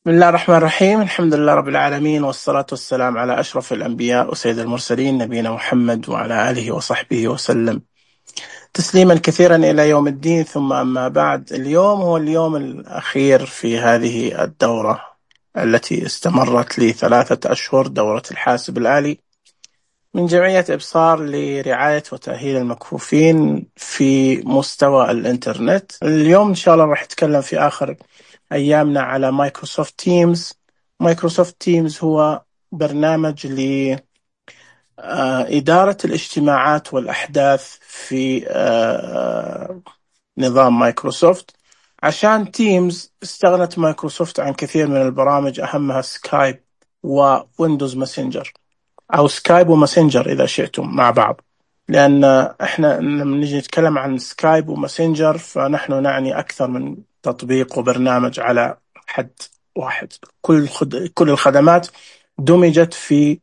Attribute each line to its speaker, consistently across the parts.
Speaker 1: بسم الله الرحمن الرحيم. الحمد لله رب العالمين، والصلاة والسلام على أشرف الأنبياء وسيد المرسلين نبينا محمد وعلى آله وصحبه وسلم تسليما كثيرا إلى يوم الدين. ثم أما بعد، اليوم هو اليوم الأخير في هذه الدورة التي استمرت لثلاثة أشهر، دورة الحاسب الآلي من جمعية إبصار لرعاية وتأهيل المكفوفين في مستوى الإنترنت. اليوم إن شاء الله راح أتكلم في آخر أيامنا على مايكروسوفت تيمز. مايكروسوفت تيمز هو برنامج لإدارة الاجتماعات والأحداث في نظام مايكروسوفت. عشان تيمز استغنت مايكروسوفت عن كثير من البرامج، أهمها سكايب وويندوز ماسنجر، أو سكايب وماسنجر إذا شئتم مع بعض، لأن إحنا لما نيجي نتكلم عن سكايب وماسنجر فنحن نعني أكثر من تطبيق وبرنامج على حد واحد. كل الخدمات دمجت في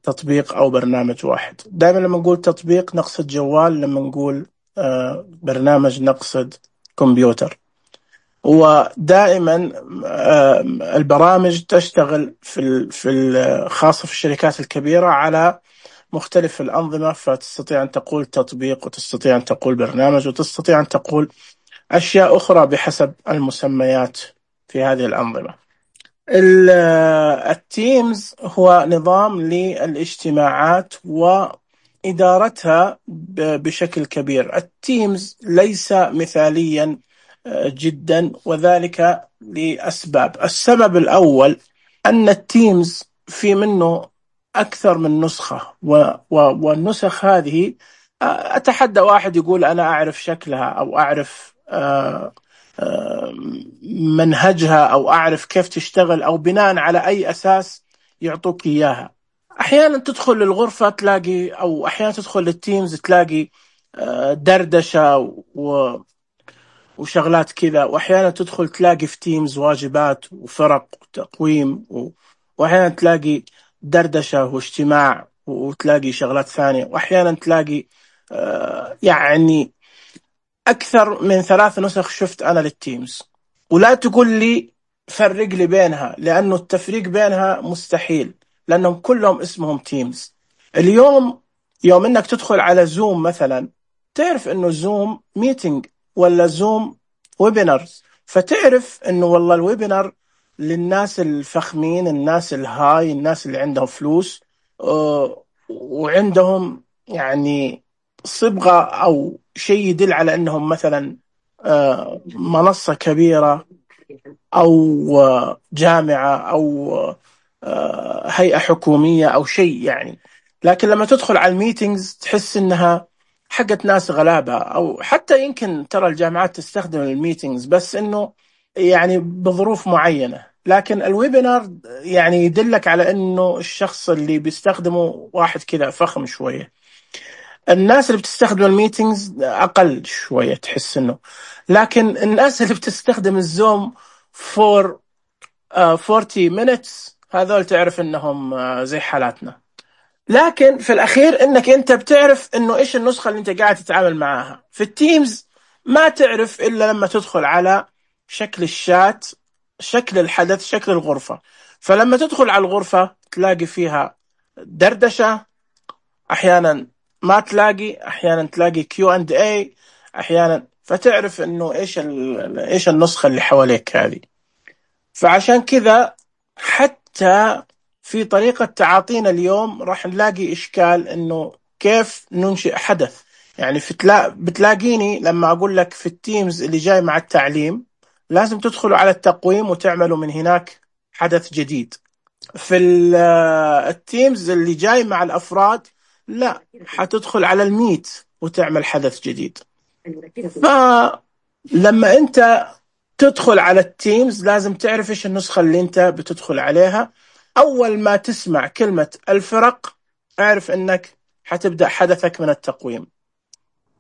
Speaker 1: تطبيق أو برنامج واحد. دائما لما نقول تطبيق نقصد جوال، لما نقول برنامج نقصد كمبيوتر. ودائما البرامج تشتغل خاصة في الشركات الكبيرة على مختلف الأنظمة، فتستطيع أن تقول تطبيق، وتستطيع أن تقول برنامج، وتستطيع أن تقول أشياء أخرى بحسب المسميات في هذه الأنظمة. التيمز هو نظام للاجتماعات وإدارتها بشكل كبير. التيمز ليس مثاليا جدا، وذلك لأسباب. السبب الأول أن التيمز في منه أكثر من نسخة، والنسخ هذه أتحدى واحد يقول أنا أعرف شكلها، أو أعرف منهجها، أو أعرف كيف تشتغل، أو بناء على أي أساس يعطوك إياها. أحيانا تدخل للغرفة تلاقي، أو أحيانا تدخل للتيمز تلاقي دردشة وشغلات كذا، وأحيانا تدخل تلاقي في تيمز واجبات وفرق وتقويم، وأحيانا تلاقي دردشة واجتماع، وتلاقي شغلات ثانية، وأحيانا تلاقي يعني أكثر من 3 نسخ شفت أنا للتيمز. ولا تقول لي فرق لي بينها، لأنه التفريق بينها مستحيل، لأنهم كلهم اسمهم تيمز. اليوم يوم أنك تدخل على زوم مثلا، تعرف أنه زوم ميتينج ولا زوم ويبينارز، فتعرف أنه والله الويبينار للناس الفخمين، الناس الهاي، الناس اللي عندهم فلوس وعندهم يعني صبغة أو شيء يدل على أنهم مثلا منصة كبيرة، أو جامعة، أو هيئة حكومية، أو شيء يعني. لكن لما تدخل على الميتينجز تحس إنها حقت ناس غلابة، أو حتى يمكن ترى الجامعات تستخدم الميتينجز، بس إنه يعني بظروف معينة. لكن الويبينار يعني يدلك على إنه الشخص اللي بيستخدمه واحد كذا فخم شوية. الناس اللي بتستخدم الميتينجز أقل شوية تحس إنه، لكن الناس اللي بتستخدم الزوم for 40 minutes هذول تعرف إنهم زي حالاتنا. لكن في الأخير إنك أنت بتعرف إنه إيش النسخة اللي أنت قاعد تتعامل معاها. في التيمز ما تعرف إلا لما تدخل على شكل الشات، شكل الحدث، شكل الغرفة. فلما تدخل على الغرفة تلاقي فيها دردشة، أحيانا ما تلاقي، أحيانا تلاقي Q&A أحيانا، فتعرف إنه إيش النسخة اللي حواليك هذه. فعشان كذا حتى في طريقة تعاطينا اليوم راح نلاقي إشكال إنه كيف ننشئ حدث. يعني بتلاقيني لما أقول لك في التيمز اللي جاي مع التعليم لازم تدخلوا على التقويم وتعملوا من هناك حدث جديد. في التيمز اللي جاي مع الأفراد لا، حتدخل على الميت وتعمل حدث جديد. فلما أنت تدخل على التيمز لازم تعرف إيش النسخة اللي أنت بتدخل عليها. أول ما تسمع كلمة الفرق اعرف أنك حتبدأ حدثك من التقويم.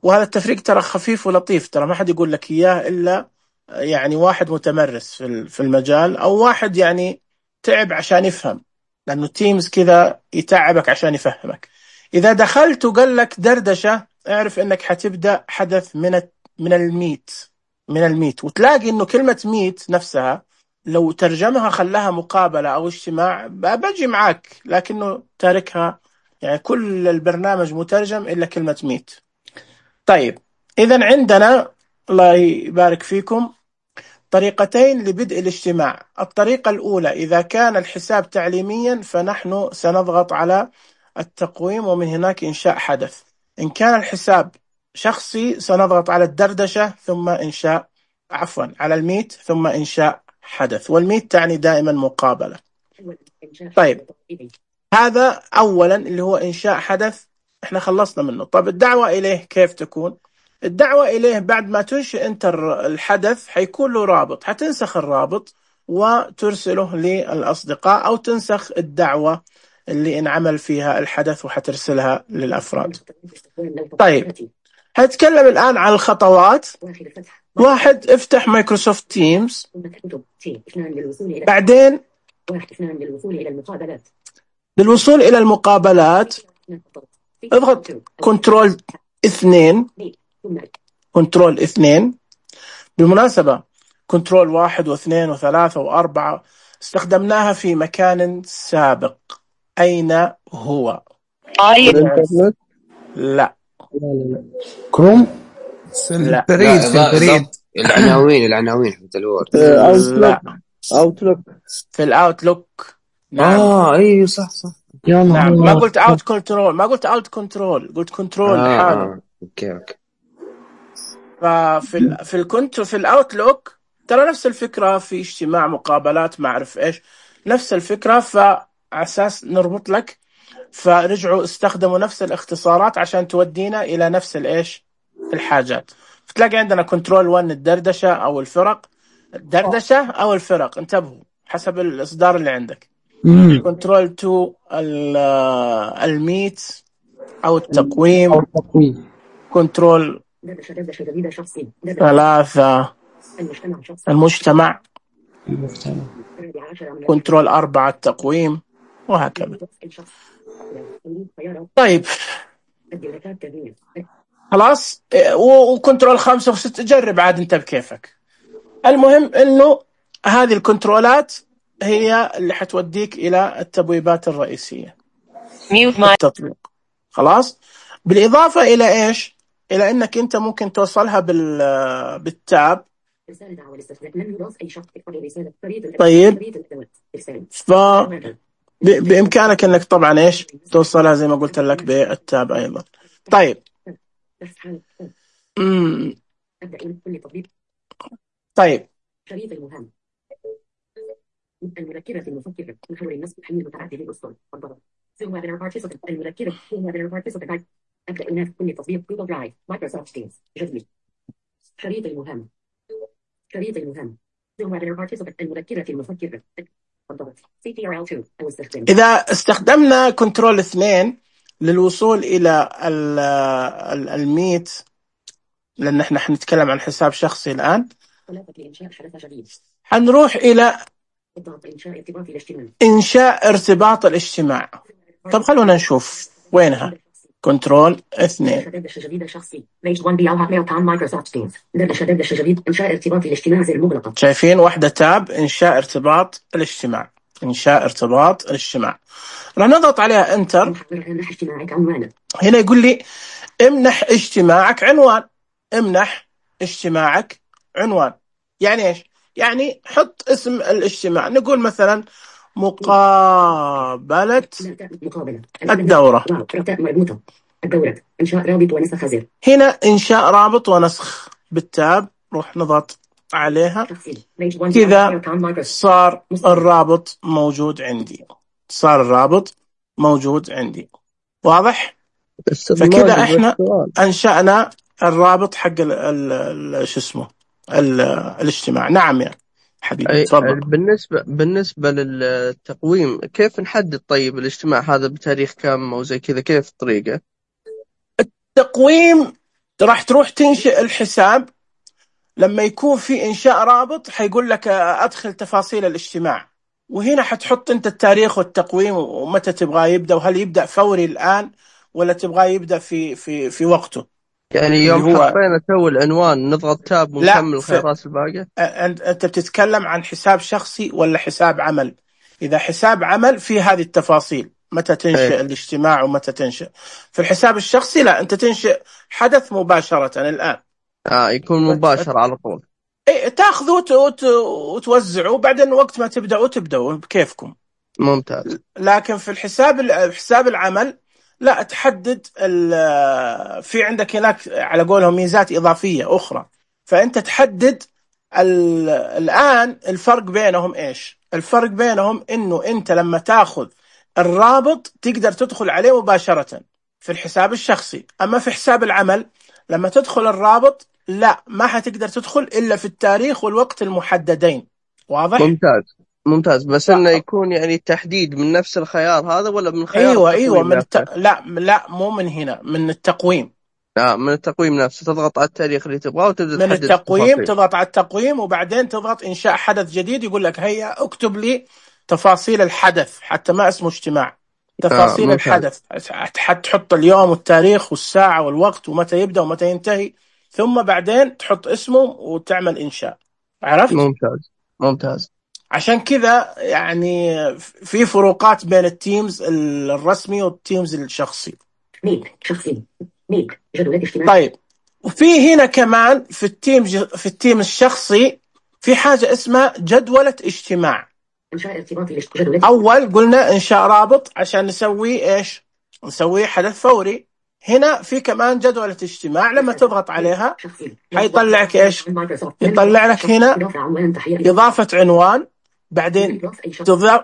Speaker 1: وهذا التفريق ترى خفيف ولطيف، ترى ما حد يقول لك إياه إلا يعني واحد متمرس في المجال، أو واحد يعني تعب عشان يفهم، لأنه تيمز كذا يتعبك عشان يفهمك. إذا دخلت وقال لك دردشة اعرف أنك حتبدأ حدث من الميت. وتلاقي أنه كلمة ميت نفسها لو ترجمها خلاها مقابلة أو اجتماع بجي معاك، لكنه تاركها يعني كل البرنامج مترجم إلا كلمة ميت. طيب إذا عندنا الله يبارك فيكم طريقتين لبدء الاجتماع. الطريقة الأولى إذا كان الحساب تعليميا فنحن سنضغط على التقويم ومن هناك إنشاء حدث. إن كان الحساب شخصي سنضغط على الدردشة ثم إنشاء على الميت ثم إنشاء حدث، والميت تعني دائما مقابلة. طيب هذا أولا اللي هو إنشاء حدث احنا خلصنا منه. طب الدعوة إليه كيف تكون؟ الدعوة إليه بعد ما تنشئ أنت الحدث حيكون له رابط، حتنسخ الرابط وترسله للأصدقاء أو تنسخ الدعوة اللي انعمل فيها الحدث وحترسلها للأفراد. طيب هنتكلم الآن عن الخطوات. واحد، افتح مايكروسوفت تيمز. بعدين للوصول إلى المقابلات اضغط كنترول 2. كنترول 2. بالمناسبة كنترول 1 و2 و3 و4 استخدمناها في مكان سابق. أين هو؟
Speaker 2: الانترنت؟
Speaker 1: لا.
Speaker 2: لا.
Speaker 3: كروم.
Speaker 1: لا.
Speaker 3: البريد في البريد.
Speaker 4: العناوين حتى الوورد.
Speaker 1: لا.
Speaker 2: اوتلوك.
Speaker 1: في الاوتلوك. نعم.
Speaker 4: ايوه صح.
Speaker 2: يا
Speaker 1: نعم ما قلت اوت كنترول، ما قلت اوت كنترول، قلت كنترول حاله.
Speaker 4: اوكي.
Speaker 1: في الاوتلوك ترى نفس الفكرة، في اجتماع مقابلات ما اعرف ايش نفس الفكرة، فعساس نربط لك فرجعوا استخدموا نفس الاختصارات عشان تودينا الى نفس الايش الحاجات. فتلاقي عندنا كنترول 1 الدردشة او الفرق، الدردشة او الفرق انتبهوا حسب الاصدار اللي عندك. كنترول 2 الميت او التقويم. كنترول 3 المجتمع. كنترول 4 التقويم، وهكذا. طيب خلاص، وكنترول 5 و6 جرب عاد انت بكيفك. المهم انه هذه الكنترولات هي اللي حتوديك الى التبويبات الرئيسية التطبيق. خلاص، بالاضافة الى ايش؟ الى انك انت ممكن توصلها بالتاب. طيب بامكانك انك طبعا ايش توصلها زي ما قلت لك بالتاب ايضا. طيب طيب
Speaker 5: شريط المهم المذكرة المفكرة محور النصب حمل متعدد الأسطر الضغط ثم ويبينار بارتيسيبنت المذكرة ثم ويبينار بارتيسيبنت أبدأ هنا في كل تطبيق جوجل درايف مايكروسوفت تيمز جدول شريط المهم ثم ويبينار بارتيسيبنت المذكرة المفكرة الضغط CTRL2 أو استخدام. إذا
Speaker 1: استخدمنا كنترول 2 للوصول إلى الميت، لأن احنا حنتكلم عن حساب شخصي الآن، حنروح إلى إنشاء ارتباط الاجتماع. طب خلونا نشوف وينها. كنترول 2 شايفين واحدة تاب إنشاء ارتباط الاجتماع. راح نضغط عليها انتر. هنا يقول لي امنح اجتماعك عنوان. يعني ايش؟ يعني حط اسم الاجتماع، نقول مثلا مقابلة الدورة. إنشاء رابط ونسخ خزر. هنا إنشاء رابط ونسخ بالتاب، روح نضغط عليها كذا صار الرابط موجود عندي. واضح؟ فكذا احنا أنشأنا الرابط حق الاجتماع. نعم يا حبيبي تفضل.
Speaker 2: بالنسبة للتقويم كيف نحدد طيب الاجتماع هذا بتاريخ كم أو زي كذا؟ كيف الطريقة؟
Speaker 1: التقويم راح تروح تنشئ الحساب، لما يكون في إنشاء رابط حيقول لك أدخل تفاصيل الاجتماع، وهنا حتحط أنت التاريخ والتقويم ومتى تبغى يبدأ، وهل يبدأ فوري الآن ولا تبغى يبدأ في وقته.
Speaker 2: يعني
Speaker 1: اللي
Speaker 2: يوم
Speaker 1: هو
Speaker 2: حطينا تو العنوان نضغط تاب
Speaker 1: لا
Speaker 2: ونكمل الخيارات الباقية.
Speaker 1: أنت بتتكلم عن حساب شخصي ولا حساب عمل؟ إذا حساب عمل في هذه التفاصيل، متى تنشئ
Speaker 2: إيه.
Speaker 1: الاجتماع ومتى تنشئ. في الحساب الشخصي لا، أنت تنشئ حدث مباشرة الآن،
Speaker 2: يكون مباشر على طول.
Speaker 1: إيه، تاخذه وتوزعه، وبعدين وقت ما تبدأوا بكيفكم.
Speaker 2: ممتاز.
Speaker 1: لكن في حساب العمل لا، تحدد في عندك هناك على قولهم ميزات إضافية أخرى، فأنت تحدد الآن الفرق بينهم إيش؟ الفرق بينهم إنه أنت لما تاخذ الرابط تقدر تدخل عليه مباشرة في الحساب الشخصي، أما في حساب العمل لما تدخل الرابط لا، ما حتقدر تدخل إلا في التاريخ والوقت المحددين. واضح؟
Speaker 2: ممتاز. بس إنه يكون يعني التحديد من نفس الخيار هذا ولا من خيار
Speaker 1: أيوة
Speaker 2: التقويم نفسه؟
Speaker 1: لا مو من هنا، من التقويم.
Speaker 2: من التقويم نفسه تضغط على التاريخ اللي تبغاه وتبدأ
Speaker 1: من
Speaker 2: تحدد
Speaker 1: التقويم
Speaker 2: التفاصيل.
Speaker 1: تضغط على التقويم وبعدين تضغط إنشاء حدث جديد، يقول لك هيا اكتب لي تفاصيل الحدث، حتى ما اسمه اجتماع، تفاصيل
Speaker 2: ممتاز.
Speaker 1: الحدث، تحط اليوم والتاريخ والساعة والوقت ومتى يبدأ ومتى ينتهي، ثم بعدين تحط اسمه وتعمل إنشاء. عرفت؟
Speaker 2: ممتاز.
Speaker 1: عشان كذا يعني في فروقات بين التيمز الرسمي والتيمز الشخصي.
Speaker 5: شخصي جدول اجتماع.
Speaker 1: طيب، وفي هنا كمان في التيم الشخصي في حاجة اسمها جدولة اجتماع.
Speaker 5: إنشاء ارتباطي جدول.
Speaker 1: أول قلنا إنشاء رابط عشان نسوي إيش؟ نسوي حدث فوري. هنا في كمان جدولة اجتماع، لما تضغط عليها حيطلعك إيش؟ يطلع لك هنا إضافة عنوان، بعدين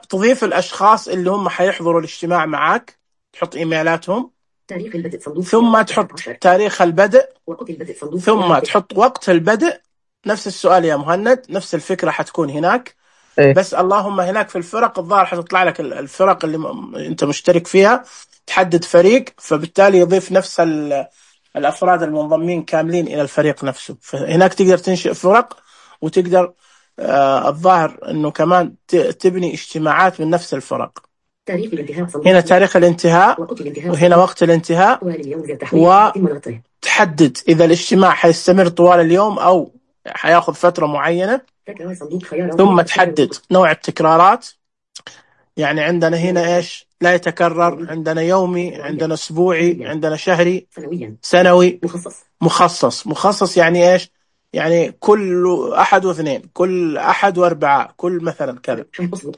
Speaker 1: تضيف الأشخاص اللي هم حيحضروا الاجتماع معك، تحط إيميلاتهم، ثم تحط تاريخ البدء، ثم تحط وقت البدء. نفس السؤال يا مهند، نفس الفكرة حتكون هناك.
Speaker 2: إيه؟
Speaker 1: بس اللهم هناك في الفرق الظاهر حتطلع لك الفرق اللي انت مشترك فيها، تحدد فريق، فبالتالي يضيف نفس الأفراد المنضمين كاملين إلى الفريق نفسه. فهناك تقدر تنشئ فرق، وتقدر الظاهر أنه كمان تبني اجتماعات من نفس الفرق. هنا تاريخ الانتهاء وهنا وقت الانتهاء، وتحدد إذا الاجتماع حيستمر طوال اليوم أو حياخذ فترة معينة، ثم تحدد نوع التكرارات. يعني عندنا هنا إيش؟ لا يتكرر، عندنا يومي، عندنا أسبوعي، عندنا شهري، سنوي، مخصص. يعني إيش؟ يعني كل أحد واثنين، كل أحد وأربعاء، كل مثلا كذا.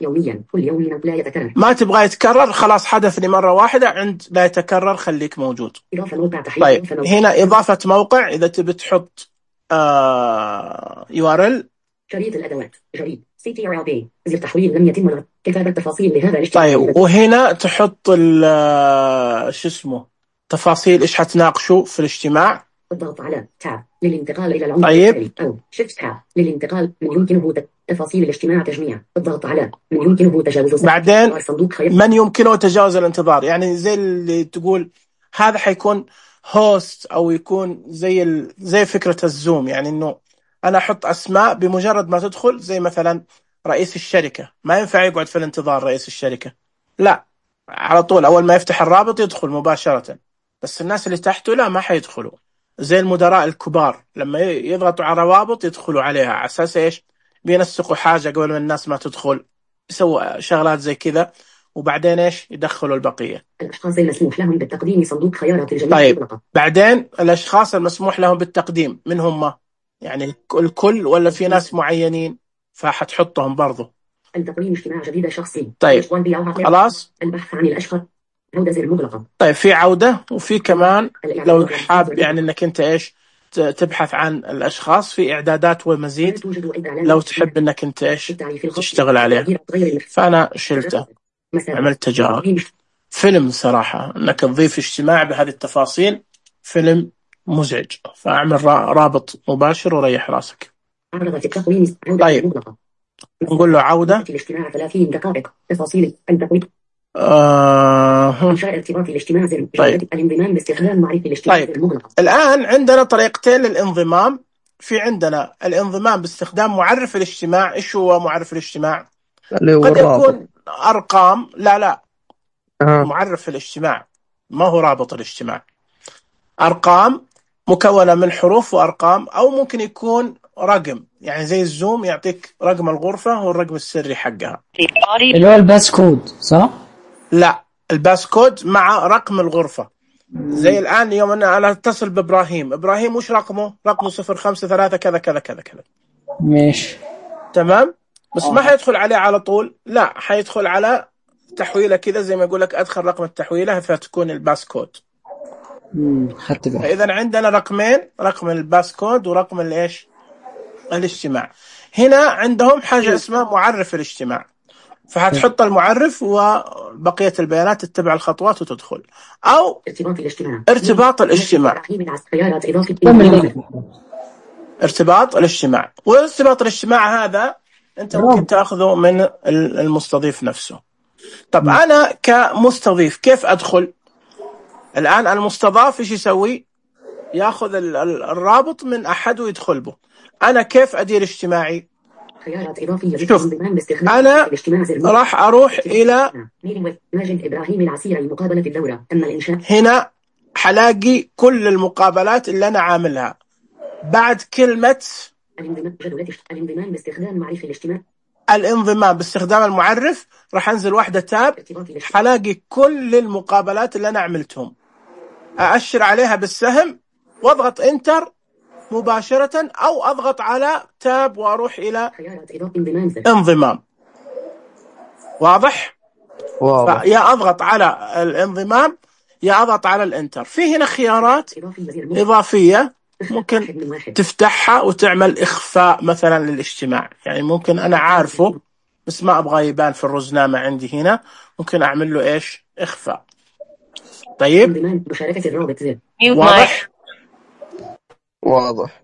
Speaker 5: يوميا، كل يوم لا يتكرر.
Speaker 1: ما تبغى يتكرر خلاص حدث لي مرة واحدة، عند لا يتكرر خليك موجود. طيب هنا إضافة موقع، إذا تبي تحط URL.
Speaker 5: شريط الأدوات جريد CTRLB زر تحويل لم يتم كتابة تفاصيل لهذا الاجتماع.
Speaker 1: طيب وهنا تحط شو اسمه تفاصيل إيش حتناقشوا في الاجتماع.
Speaker 5: الضغط على تاب للانتقال إلى العنصر
Speaker 1: طيب.
Speaker 5: التالي، أو شيفت تاب للانتقال من يمكنه تفاصيل الاجتماع تجميع. الضغط على من يمكنه تجاوز
Speaker 1: بعدين من يمكنه تجاوز الانتظار، يعني زي اللي تقول هذا حيكون هوست، أو يكون زي فكرة الزوم، يعني إنه أنا أحط أسماء بمجرد ما تدخل، زي مثلا رئيس الشركة ما ينفع يقعد في الانتظار. رئيس الشركة لا، على طول أول ما يفتح الرابط يدخل مباشرة، بس الناس اللي تحته لا، ما حيدخلوا. زي المدراء الكبار لما يضغطوا على روابط يدخلوا عليها على أساس إيش؟ بينسقوا حاجة قبل ما الناس ما تدخل، يسووا شغلات زي كذا، وبعدين إيش؟ يدخلوا البقية.
Speaker 5: الأشخاص المسموح لهم بالتقديم صندوق خيارات الجميع.
Speaker 1: طيب بعدين الأشخاص المسموح لهم بالتقديم من هم؟ يعني الكل ولا في ناس معينين؟ فحتحطهم برضو.
Speaker 5: التقديم اجتماع جديد شخصي.
Speaker 1: طيب خلاص.
Speaker 5: البحث عن الأشخاص، عودة زر مغلقة.
Speaker 1: طيب في عودة، وفي كمان لو حاب يعني انك انت ايش تبحث عن الاشخاص، في اعدادات ومزيد لو تحب انك انت ايش تشتغل عليها. فانا شلته، عملت تجارب. فيلم صراحة انك تضيف اجتماع بهذه التفاصيل فيلم مزعج، فاعمل رابط مباشر وريح راسك. طيب نقول له عودة.
Speaker 5: الاجتماع 30 دقائق. تفاصيل التقويم. إنشاء ارتباط الاجتماع زر.
Speaker 1: طيب.
Speaker 5: الانضمام باستخدام معرفة الاجتماع.
Speaker 1: طيب الآن عندنا طريقتين للانضمام. في عندنا الانضمام باستخدام معرف الاجتماع. إيش هو معرف الاجتماع؟ قد يكون أرقام. لا معرف الاجتماع ما هو رابط الاجتماع. أرقام مكونة من حروف وأرقام، أو ممكن يكون رقم، يعني زي الزوم يعطيك رقم الغرفة والرقم السري حقها.
Speaker 3: اللي هو الباس كود صح؟
Speaker 1: لا، الباس كود مع رقم الغرفة. زي الآن يوم أنا أتصل بإبراهيم وش رقمه؟ رقمه 053 كذا كذا كذا كذا.
Speaker 3: ماشي
Speaker 1: تمام. بس ما حيدخل عليه على طول، لا، حيدخل على تحويلة كذا، زي ما يقول لك أدخل رقم التحويلة فتكون الباس كود.
Speaker 3: خدت بالي.
Speaker 1: فإذا عندنا رقمين، رقم الباس كود ورقم الإيش؟ الاجتماع. هنا عندهم حاجة اسمها معرف الاجتماع، فهتحط المعرف وبقية البيانات تتبع الخطوات وتدخل. أو ارتباط الاجتماع. ارتباط الاجتماع، وارتباط الاجتماع هذا أنت ممكن تأخذه من المستضيف نفسه. طب أنا كمستضيف كيف أدخل؟ الآن المستضاف إيش يسوي؟ يأخذ الرابط من أحد ويدخل به. أنا كيف أدير اجتماعي؟ شوف، أنا راح أروح إلى هنا، حلاقي كل المقابلات اللي أنا عاملها بعد كلمة الانضمام باستخدام المعرف. راح أنزل واحدة تاب، حلاقي كل المقابلات اللي أنا عملتهم، أأشر عليها بالسهم واضغط انتر مباشرة، أو أضغط على تاب وأروح إلى انضمام. واضح؟ يا أضغط على الانضمام يا أضغط على الانتر. في هنا خيارات إضافية ممكن تفتحها وتعمل إخفاء مثلا للاجتماع، يعني ممكن أنا عارفه بس ما أبغى يبان في الرزنامة عندي هنا، ممكن أعمل له إيش؟ إخفاء. طيب، واضح؟
Speaker 2: واضح.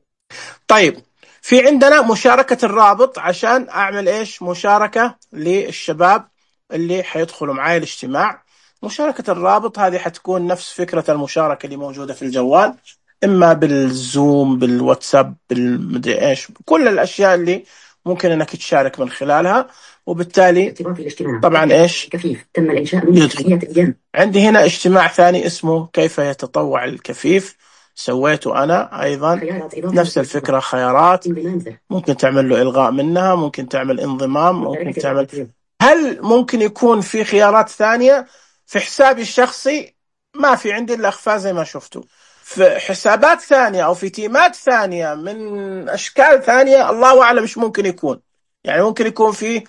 Speaker 1: طيب، في عندنا مشاركة الرابط عشان أعمل إيش؟ مشاركة للشباب اللي حيدخلوا معاي الاجتماع. مشاركة الرابط هذه حتكون نفس فكرة المشاركة اللي موجودة في الجوال، إما بالزوم، بالواتساب، بالمدري إيش، كل الأشياء اللي ممكن أنك تشارك من خلالها. وبالتالي طبعا إيش؟ يدخل. عندي هنا اجتماع ثاني اسمه كيف يتطوع الكفيف، سويته أنا أيضا نفس الفكرة. خيارات ممكن تعمل له إلغاء منها، ممكن تعمل انضمام، ممكن تعمل. هل ممكن يكون في خيارات ثانية؟ في حسابي الشخصي ما في عندي إلا إخفاء زي ما شفتوا. في حسابات ثانية أو في تيمات ثانية من أشكال ثانية الله أعلم إيش ممكن يكون. يعني ممكن يكون في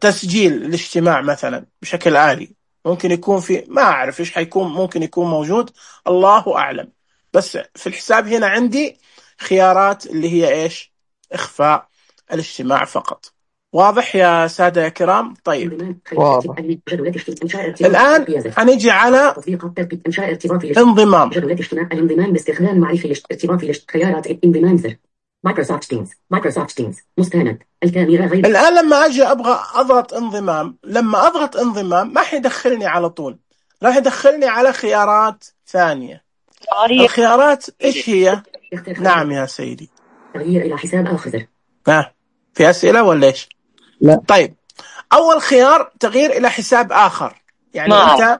Speaker 1: تسجيل الاجتماع مثلا بشكل آلي، ممكن يكون في، ما أعرف إيش حيكون، ممكن يكون موجود، الله أعلم. بس في الحساب هنا عندي خيارات اللي هي إيش؟ إخفاء الاجتماع فقط. واضح يا سادة يا كرام؟ طيب،
Speaker 2: واضح.
Speaker 1: الآن هنيجي على انضمام.
Speaker 5: الانضمام باستخدام معرفة ارتباط خيارات انضمام مايكروسوفت تيمز مستند الكاميرا غير.
Speaker 1: الآن لما أجي أبغى أضغط انضمام، لما أضغط انضمام ما حيدخلني على طول، راح يدخلني على خيارات ثانية. الخيارات إيش هي؟ نعم يا سيدي.
Speaker 5: تغيير إلى حساب آخر.
Speaker 1: في أسئلة ولا إيش؟
Speaker 3: لا.
Speaker 1: طيب، أول خيار تغيير إلى حساب آخر، يعني أنت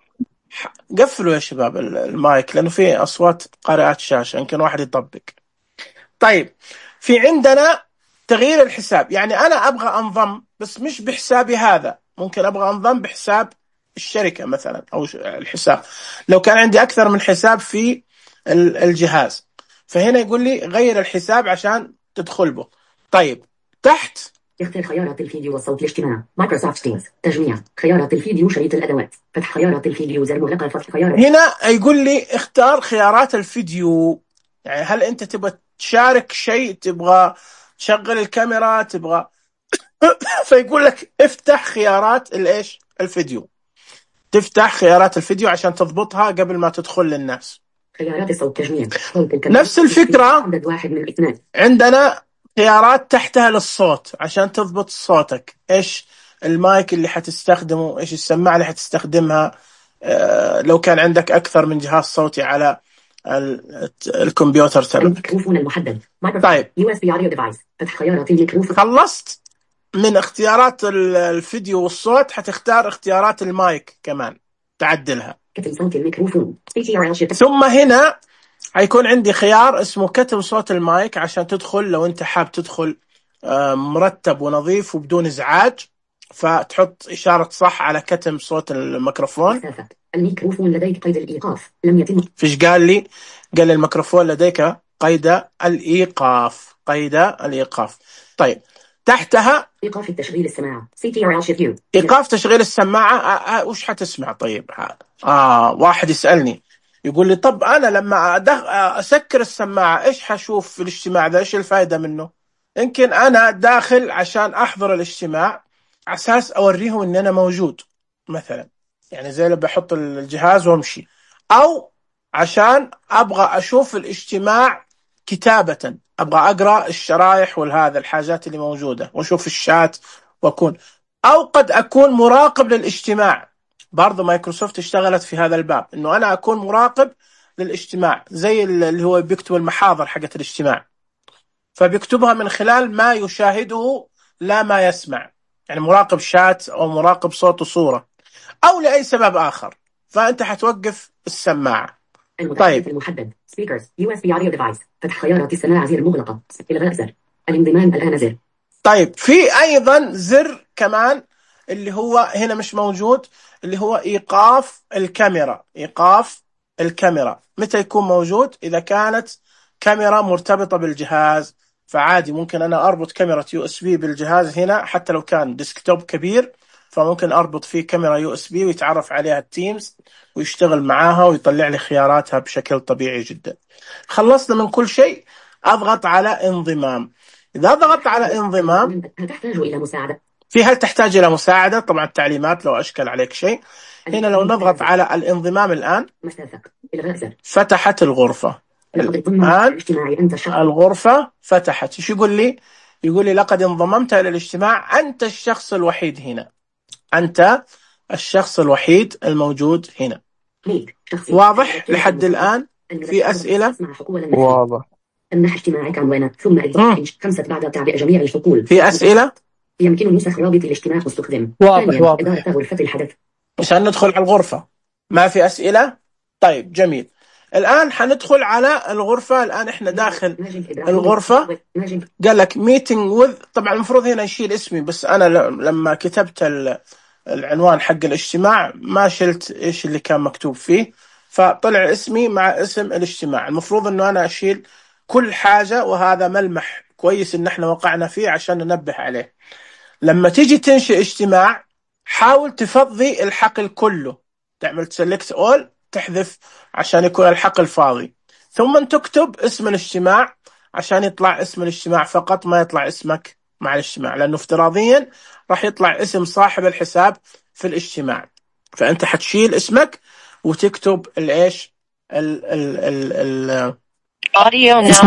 Speaker 1: قفلوا يا شباب المايك لأنه في أصوات قارئات شاشة، يمكن واحد يطبق. طيب، في عندنا تغيير الحساب، يعني أنا أبغى أنضم بس مش بحسابي هذا، ممكن أبغى أنضم بحساب الشركة مثلا أو الحساب، لو كان عندي أكثر من حساب في الجهاز. فهنا يقول لي غير الحساب عشان تدخل به. طيب، تحت
Speaker 5: اختر خيارات الفيديو والصوت الاجتماع مايكروسوفت تيمز تجميع خيارات الفيديو شريط الأدوات فتح خيارات الفيديو زر مغلقة فتح خيارات.
Speaker 1: هنا يقول لي اختار خيارات الفيديو، يعني هل أنت تبغى تشارك شيء، تبغى تشغل الكاميرا، تبغى فيقول لك افتح خيارات الايش؟ الفيديو. تفتح خيارات الفيديو عشان تضبطها قبل ما تدخل للناس.
Speaker 5: خيارات الصوت تجميع
Speaker 1: نفس الفكرة عندنا خيارات تحتها للصوت عشان تضبط صوتك، ايش المايك اللي حتستخدمه، ايش السماعة اللي حتستخدمها، لو كان عندك أكثر من جهاز صوتي على الكمبيوتر تبعك.
Speaker 5: الميكروفون المحدد.
Speaker 1: طيب،
Speaker 5: USB audio device. فتح خيارات الميكروفون.
Speaker 1: خلصت من اختيارات الفيديو والصوت، حتختار اختيارات المايك كمان تعدلها.
Speaker 5: كتم صوت الميكروفون.
Speaker 1: ثم هنا هيكون عندي خيار اسمه كتم صوت المايك عشان تدخل لو انت حاب تدخل مرتب ونظيف وبدون ازعاج، فتحط إشارة صح على كتم صوت الميكروفون.
Speaker 5: الميكروفون لديك قيد الإيقاف لم يتم.
Speaker 1: فيش قال لي؟ قال لي الميكروفون لديك قيد الإيقاف، قيد الإيقاف. طيب تحتها
Speaker 5: إيقاف التشغيل السماعة CTRL Shift U.
Speaker 1: إيقاف تشغيل السماعة. وش حتسمع؟ طيب واحد يسألني يقول لي طب أنا لما أسكر السماعة إيش حشوف في الاجتماع ذا؟ إيش الفائدة منه؟ يمكن أنا داخل عشان أحضر الاجتماع على أساس أوريهم إن أنا موجود مثلا، يعني زي اللي بحط الجهاز وامشي، أو عشان أبغى أشوف الاجتماع كتابة، أبغى أقرأ الشرايح والهذا الحاجات اللي موجودة وأشوف الشات وأكون، أو قد أكون مراقب للاجتماع. برضو مايكروسوفت اشتغلت في هذا الباب، إنه أنا أكون مراقب للاجتماع، زي اللي هو بيكتب المحاضر حقت الاجتماع، فبيكتبها من خلال ما يشاهده لا ما يسمع، يعني مراقب شات أو مراقب صوت وصورة أو لأي سبب آخر، فأنت حتوقف السماعة. طيب
Speaker 5: المحدد speakers USB audio device. فتح خيارات السماعة زر مغلقة. إلغاء زر. الانضمام الآن زر.
Speaker 1: طيب في أيضا زر كمان اللي هو هنا مش موجود، اللي هو إيقاف الكاميرا. إيقاف الكاميرا متى يكون موجود؟ إذا كانت كاميرا مرتبطة بالجهاز، فعادي ممكن أنا أربط كاميرا USB بالجهاز هنا، حتى لو كان ديسكتوب كبير فممكن أربط فيه كاميرا USB ويتعرف عليها التيمز ويشتغل معاها ويطلع لي خياراتها بشكل طبيعي جدا. خلصنا من كل شيء، أضغط على انضمام. إذا ضغطت على انضمام
Speaker 5: تحتاج إلى مساعدة.
Speaker 1: في هل تحتاج إلى مساعدة؟ طبعا التعليمات لو أشكل عليك شيء. هنا لو نضغط على الانضمام الآن فتحت الغرفة. الآن الغرفة فتحت. إيش يقول لي؟ يقول لي لقد انضممت إلى الاجتماع، أنت الشخص الوحيد هنا، أنت الشخص الوحيد الموجود هنا. واضح لحد الآن؟ في أسئلة؟
Speaker 2: واضح.
Speaker 5: امنح اجتماعك عنوانه ثم اضغط 5 بعد تعبئة جميع الحقول.
Speaker 1: في أسئلة؟
Speaker 5: يمكن نسخ رابط الاجتماع واستخدم.
Speaker 2: واضح.
Speaker 5: إدارة غرفة الحدث.
Speaker 1: عشان ندخل على الغرفة. ما في أسئلة؟ طيب جميل. الآن حندخل على الغرفة. الآن إحنا داخل الغرفة. قال لك meeting with، طبعا المفروض هنا يشيل اسمي، بس أنا لما كتبت العنوان حق الاجتماع ما شلت إيش اللي كان مكتوب فيه، فطلع اسمي مع اسم الاجتماع. المفروض إنه أنا أشيل كل حاجة، وهذا ملمح كويس إن إحنا وقعنا فيه عشان ننبه عليه. لما تيجي تنشئ اجتماع حاول تفضي الحقل كله، تعمل select all، تحذف عشان يكون الحقل فاضي، ثم تكتب اسم الاجتماع عشان يطلع اسم الاجتماع فقط، ما يطلع اسمك مع الاجتماع، لأنه افتراضيا راح يطلع اسم صاحب الحساب في الاجتماع. فأنت حتشيل اسمك وتكتب الايش
Speaker 3: اسم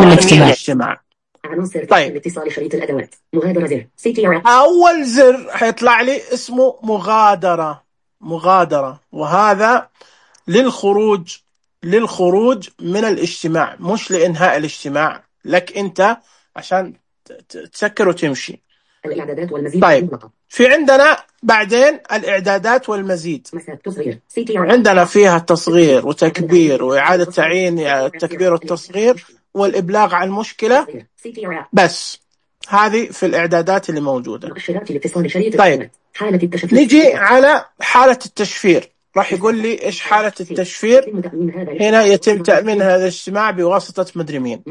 Speaker 3: الاجتماع.
Speaker 1: طيب
Speaker 5: الاتصال شريط الأدوات مغادرة زر CTRL.
Speaker 1: أول زر حيطلع لي اسمه مغادرة، وهذا للخروج من الاجتماع، مش لإنهاء الاجتماع، لك أنت عشان تسكر وتمشي.
Speaker 5: الإعدادات والمزيد.
Speaker 1: طيب في عندنا بعدين الإعدادات والمزيد، عندنا فيها تصغير وتكبير وإعادة تعيين التكبير والتصغير والإبلاغ عن مشكلة، بس هذه في الإعدادات اللي موجودة. طيب نجي على حالة التشفير. راح يقول لي إيش حالة التشفير. هنا يتم تأمين هذا الاجتماع بواسطة مدري مين.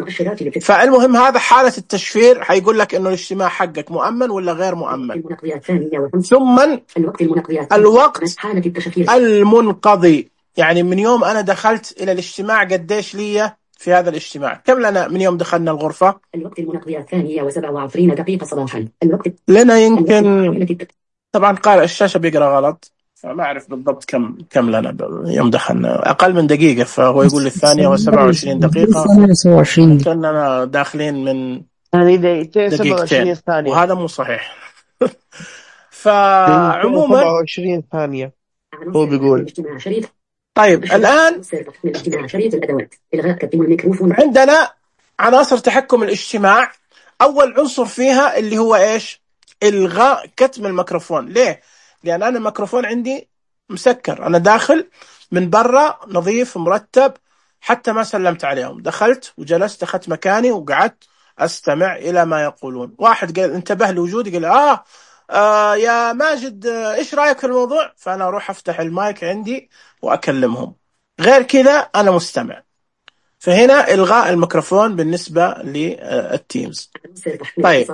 Speaker 1: فالمهم هذا حالة التشفير، حيقول لك إنه الاجتماع حقك مؤمن ولا غير مؤمن. ثم الوقت المنقضي، يعني من يوم أنا دخلت إلى الاجتماع قديش لي في هذا الاجتماع، كم لنا من يوم دخلنا الغرفة.
Speaker 5: الوقت المنقضي 2:27 دقيقة صباحا. الوقت
Speaker 1: لنا يمكن، طبعا قارئ الشاشة بيقرأ غلط، فما أعرف بالضبط كم لنا يوم دخلنا. أقل من دقيقة، فهو يقول لي 2:27 دقيقة، كأننا داخلين من دقيقتين، وهذا مو صحيح. فعموما
Speaker 2: 27 ثانية هو بيقول.
Speaker 1: طيب الآن عندنا عناصر تحكم الاجتماع. أول عنصر فيها اللي هو إيش؟ إلغاء كتم الميكروفون. ليه؟ لأن أنا الميكروفون عندي مسكر، أنا داخل من برا نظيف مرتب، حتى ما سلمت عليهم، دخلت وجلست، أخذت مكاني وقعدت أستمع إلى ما يقولون. واحد قال انتبه لوجودي، قال يا ماجد إيش رأيك في الموضوع؟ فأنا أروح أفتح المايك عندي وأكلمهم، غير كذا أنا مستمع. فهنا إلغاء الميكروفون بالنسبة للتيمز. طيب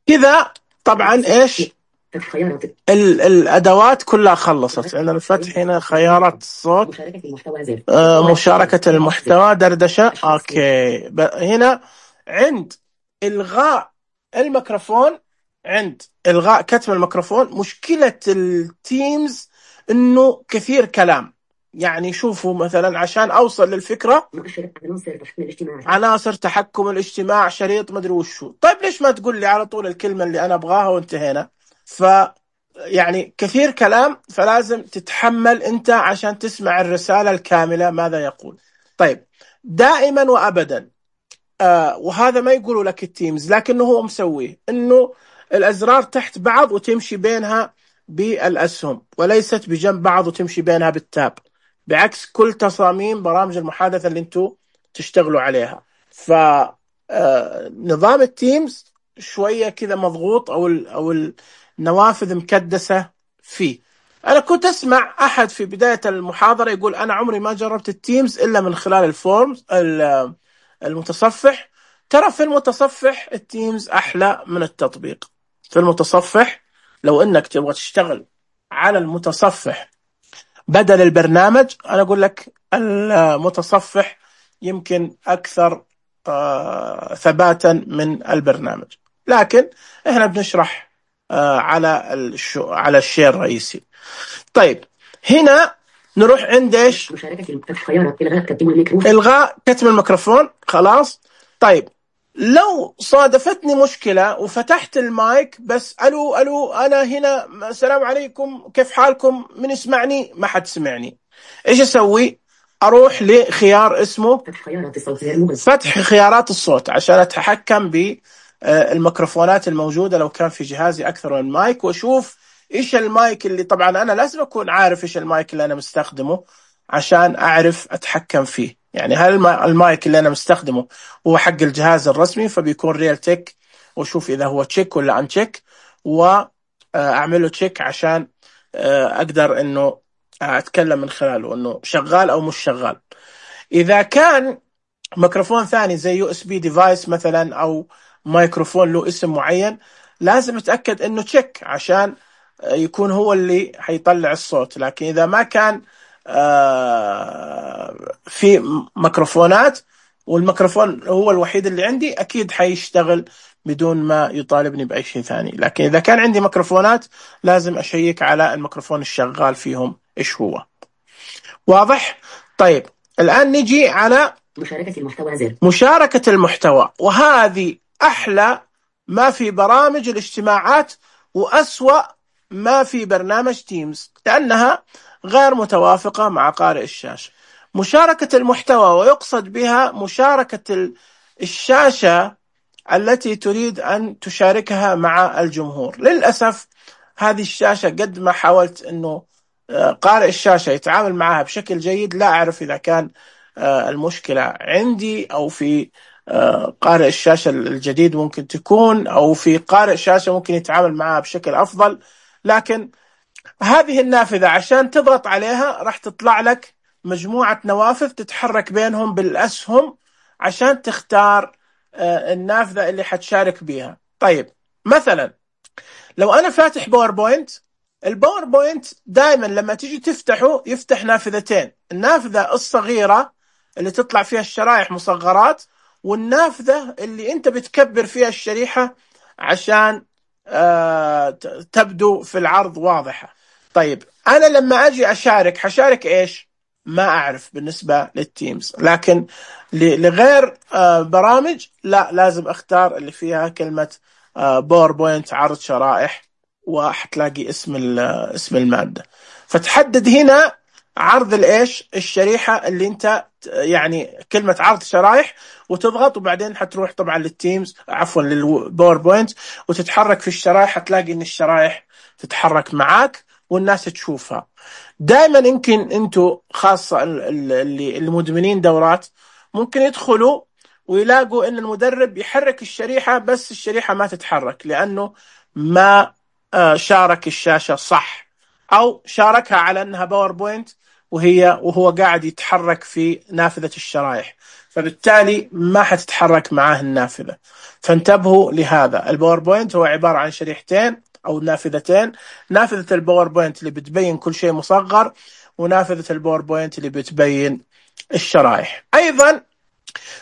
Speaker 1: كذا طبعا إيش الأدوات كلها خلصت. عندنا الفتح هنا، خيارات الصوت، مشاركة المحتوى، دردشة. أوكي، هنا عند إلغاء الميكروفون، عند إلغاء كتم الميكروفون، مشكلة التيمز إنه كثير كلام. يعني شوفوا مثلا عشان أوصل للفكرة، عناصر تحكم الاجتماع، شريط مدري وشو. طيب ليش ما تقول لي على طول الكلمة اللي أنا أبغاها وانتهينا؟ يعني كثير كلام، فلازم تتحمل أنت عشان تسمع الرسالة الكاملة ماذا يقول. طيب دائما وأبدا وهذا ما يقولوا لك التيمز، لكنه هو مسويه، إنه الأزرار تحت بعض وتمشي بينها بالأسهم، وليست بجنب بعض وتمشي بينها بالتاب، بعكس كل تصاميم برامج المحادثة اللي انتوا تشتغلوا عليها. فنظام التيمز شوية كذا مضغوط، أو النوافذ مكدسة فيه. أنا كنت أسمع أحد في بداية المحاضرة يقول أنا عمري ما جربت التيمز إلا من خلال الفورمز المتصفح. ترى في المتصفح التيمز أحلى من التطبيق. في المتصفح لو أنك تبغى تشتغل على المتصفح بدل البرنامج، أنا أقول لك المتصفح يمكن أكثر ثباتا من البرنامج، لكن إحنا بنشرح على الشيء الرئيسي. طيب هنا نروح عند إيش؟ إلغاء كتم الميكروفون. خلاص. طيب لو صادفتني مشكلة وفتحت المايك بس ألو أنا هنا، السلام عليكم، كيف حالكم، من يسمعني؟ ما حد سمعني. إيش أسوي؟ أروح لخيار اسمه فتح خيارات الصوت عشان أتحكم بالميكروفونات الموجودة لو كان في جهازي أكثر من مايك، وأشوف إيش المايك اللي، طبعا أنا لازم أكون عارف إيش المايك اللي أنا مستخدمه عشان أعرف أتحكم فيه. يعني هل المايك اللي أنا مستخدمه هو حق الجهاز الرسمي فبيكون ريال تك، وشوف إذا هو تشيك ولا أن تشيك، وأعمله تشيك عشان أقدر إنه أتكلم من خلاله إنه شغال أو مش شغال. إذا كان ميكروفون ثاني زي USB ديفايس مثلا، أو ميكروفون له اسم معين، لازم أتأكد إنه تشيك عشان يكون هو اللي حيطلع الصوت. لكن إذا ما كان في ميكروفونات والميكروفون هو الوحيد اللي عندي، أكيد حيشتغل بدون ما يطالبني بأي شيء ثاني. لكن إذا كان عندي ميكروفونات لازم أشيك على الميكروفون الشغال فيهم إيش هو. واضح؟ طيب الآن نجي على مشاركة المحتوى، وهذه أحلى ما في برامج الاجتماعات وأسوأ ما في برنامج تيمز، لأنها غير متوافقة مع قارئ الشاشة. مشاركة المحتوى ويقصد بها مشاركة الشاشة التي تريد أن تشاركها مع الجمهور. للأسف هذه الشاشة قد ما حاولت أنه قارئ الشاشة يتعامل معها بشكل جيد، لا أعرف إذا كان المشكلة عندي أو في قارئ الشاشة الجديد ممكن تكون، أو في قارئ شاشة ممكن يتعامل معها بشكل أفضل. لكن هذه النافذة عشان تضغط عليها راح تطلع لك مجموعة نوافذ تتحرك بينهم بالأسهم عشان تختار النافذة اللي حتشارك بيها. طيب مثلا لو أنا فاتح باوربوينت، الباوربوينت دائما لما تيجي تفتحه يفتح نافذتين، النافذة الصغيرة اللي تطلع فيها الشرائح مصغرات، والنافذة اللي أنت بتكبر فيها الشريحة عشان تبدو في العرض واضحة. طيب أنا لما أجي حشارك إيش؟ ما أعرف بالنسبة للتيمز، لكن لغير برامج لا، لازم أختار اللي فيها كلمة باوربوينت عرض شرائح، وحتلاقي اسم المادة، فتحدد هنا عرض الشريحة اللي أنت يعني كلمة عرض شرائح، وتضغط، وبعدين حتروح طبعا للتيمز، عفوا للباوربوينت، وتتحرك في الشرائح، هتلاقي إن الشرائح تتحرك معاك والناس تشوفها. دائما يمكن انتوا خاصة اللي المدمنين دورات ممكن يدخلوا ويلاقوا ان المدرب يحرك الشريحة بس الشريحة ما تتحرك لانه ما شارك الشاشة صح، او شاركها على انها باوربوينت وهو قاعد يتحرك في نافذة الشرائح، فبالتالي ما حتتحرك معاه النافذة. فانتبهوا لهذا. الباوربوينت هو عبارة عن شريحتين أو نافذتين، نافذة الباوربوينت اللي بتبين كل شيء مصغر، ونافذة الباوربوينت اللي بتبين الشرائح. أيضا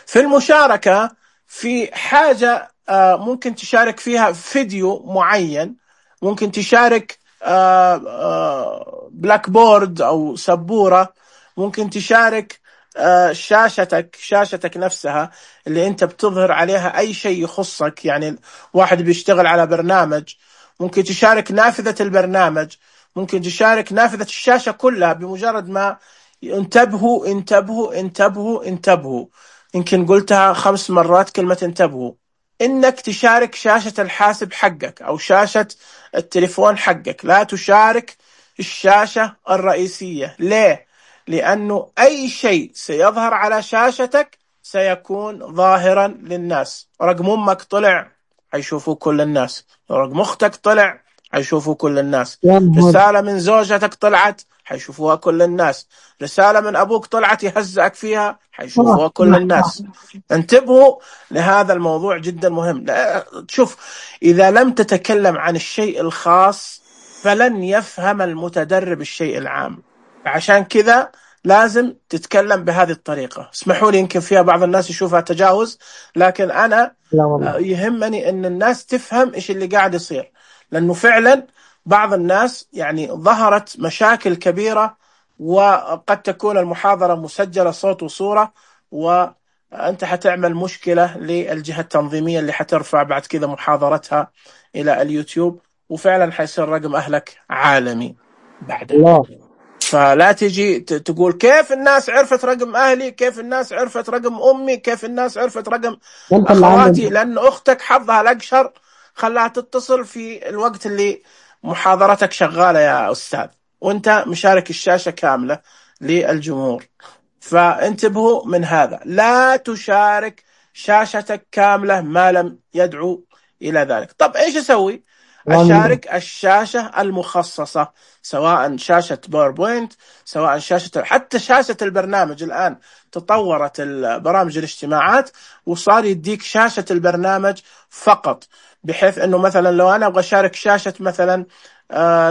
Speaker 1: في المشاركة في حاجة ممكن تشارك فيها فيديو معين، ممكن تشارك بلاك بورد أو سبورة، ممكن تشارك شاشتك نفسها اللي انت بتظهر عليها اي شيء يخصك. يعني واحد بيشتغل على برنامج ممكن تشارك نافذة البرنامج، ممكن تشارك نافذة الشاشة كلها بمجرد ما انتبهوا انتبهوا انتبهوا انتبهوا. يمكن قلتها 5 مرات كلمة انتبهوا. انك تشارك شاشة الحاسب حقك او شاشة التليفون حقك، لا تشارك الشاشة الرئيسية. ليه؟ لأنه أي شيء سيظهر على شاشتك سيكون ظاهرا للناس. رقم أمك طلع حيشوفوا كل الناس، رقم أختك طلع حيشوفوا كل الناس، رسالة من زوجتك طلعت حيشوفوها كل الناس، رسالة من أبوك طلعت يهزأك فيها حيشوفوها كل الناس. انتبهوا لهذا الموضوع جدا مهم. شوف، إذا لم تتكلم عن الشيء الخاص فلن يفهم المتدرب الشيء العام. عشان كذا لازم تتكلم بهذه الطريقة. اسمحوا لي يمكن فيها بعض الناس يشوفها تجاوز، لكن أنا يهمني أن الناس تفهم إيش اللي قاعد يصير، لأنه فعلا بعض الناس يعني ظهرت مشاكل كبيرة، وقد تكون المحاضرة مسجلة صوت وصورة، وأنت حتعمل مشكلة للجهة التنظيمية اللي حترفع بعد كذا محاضرتها إلى اليوتيوب، وفعلا حيصير رقم أهلك عالمي بعدها. فلا تجي تقول كيف الناس عرفت رقم أهلي، كيف الناس عرفت رقم أمي، كيف الناس عرفت رقم أخواتي، لأن أختك حظها الأقشر خلاها تتصل في الوقت اللي محاضرتك شغالة يا أستاذ، وانت مشارك الشاشة كاملة للجمهور. فانتبهوا من هذا، لا تشارك شاشتك كاملة ما لم يدعو إلى ذلك. طب إيش أسوي؟ أشارك الشاشة المخصصة، سواء شاشة باوربوينت، سواء حتى شاشة البرنامج. الآن تطورت برامج الاجتماعات وصار يديك شاشة البرنامج فقط، بحيث أنه مثلا لو أنا أبغى أشارك شاشة مثلا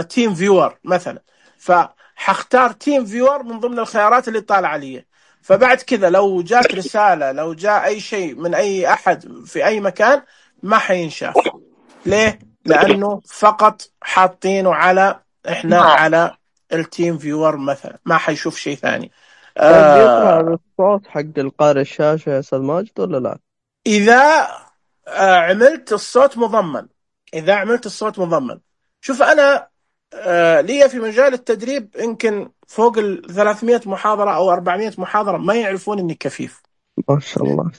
Speaker 1: تيم فيور مثلا، فحختار تيم فيور من ضمن الخيارات اللي طالعة لي. فبعد كذا لو جات رسالة، لو جاء أي شيء من أي أحد في أي مكان ما حينشاف. ليه؟ لأنه فقط حاطينه على على التيم فيور مثلا، ما حيشوف شيء ثاني.
Speaker 2: يطلع الصوت حق القارئ الشاشة يا أستاذ ماجد ولا لا؟
Speaker 1: إذا عملت الصوت مضمن، شوف أنا لي في مجال التدريب يمكن فوق 300 محاضرة أو 400 محاضرة، ما يعرفون إني كفيف.
Speaker 2: ما شاء الله.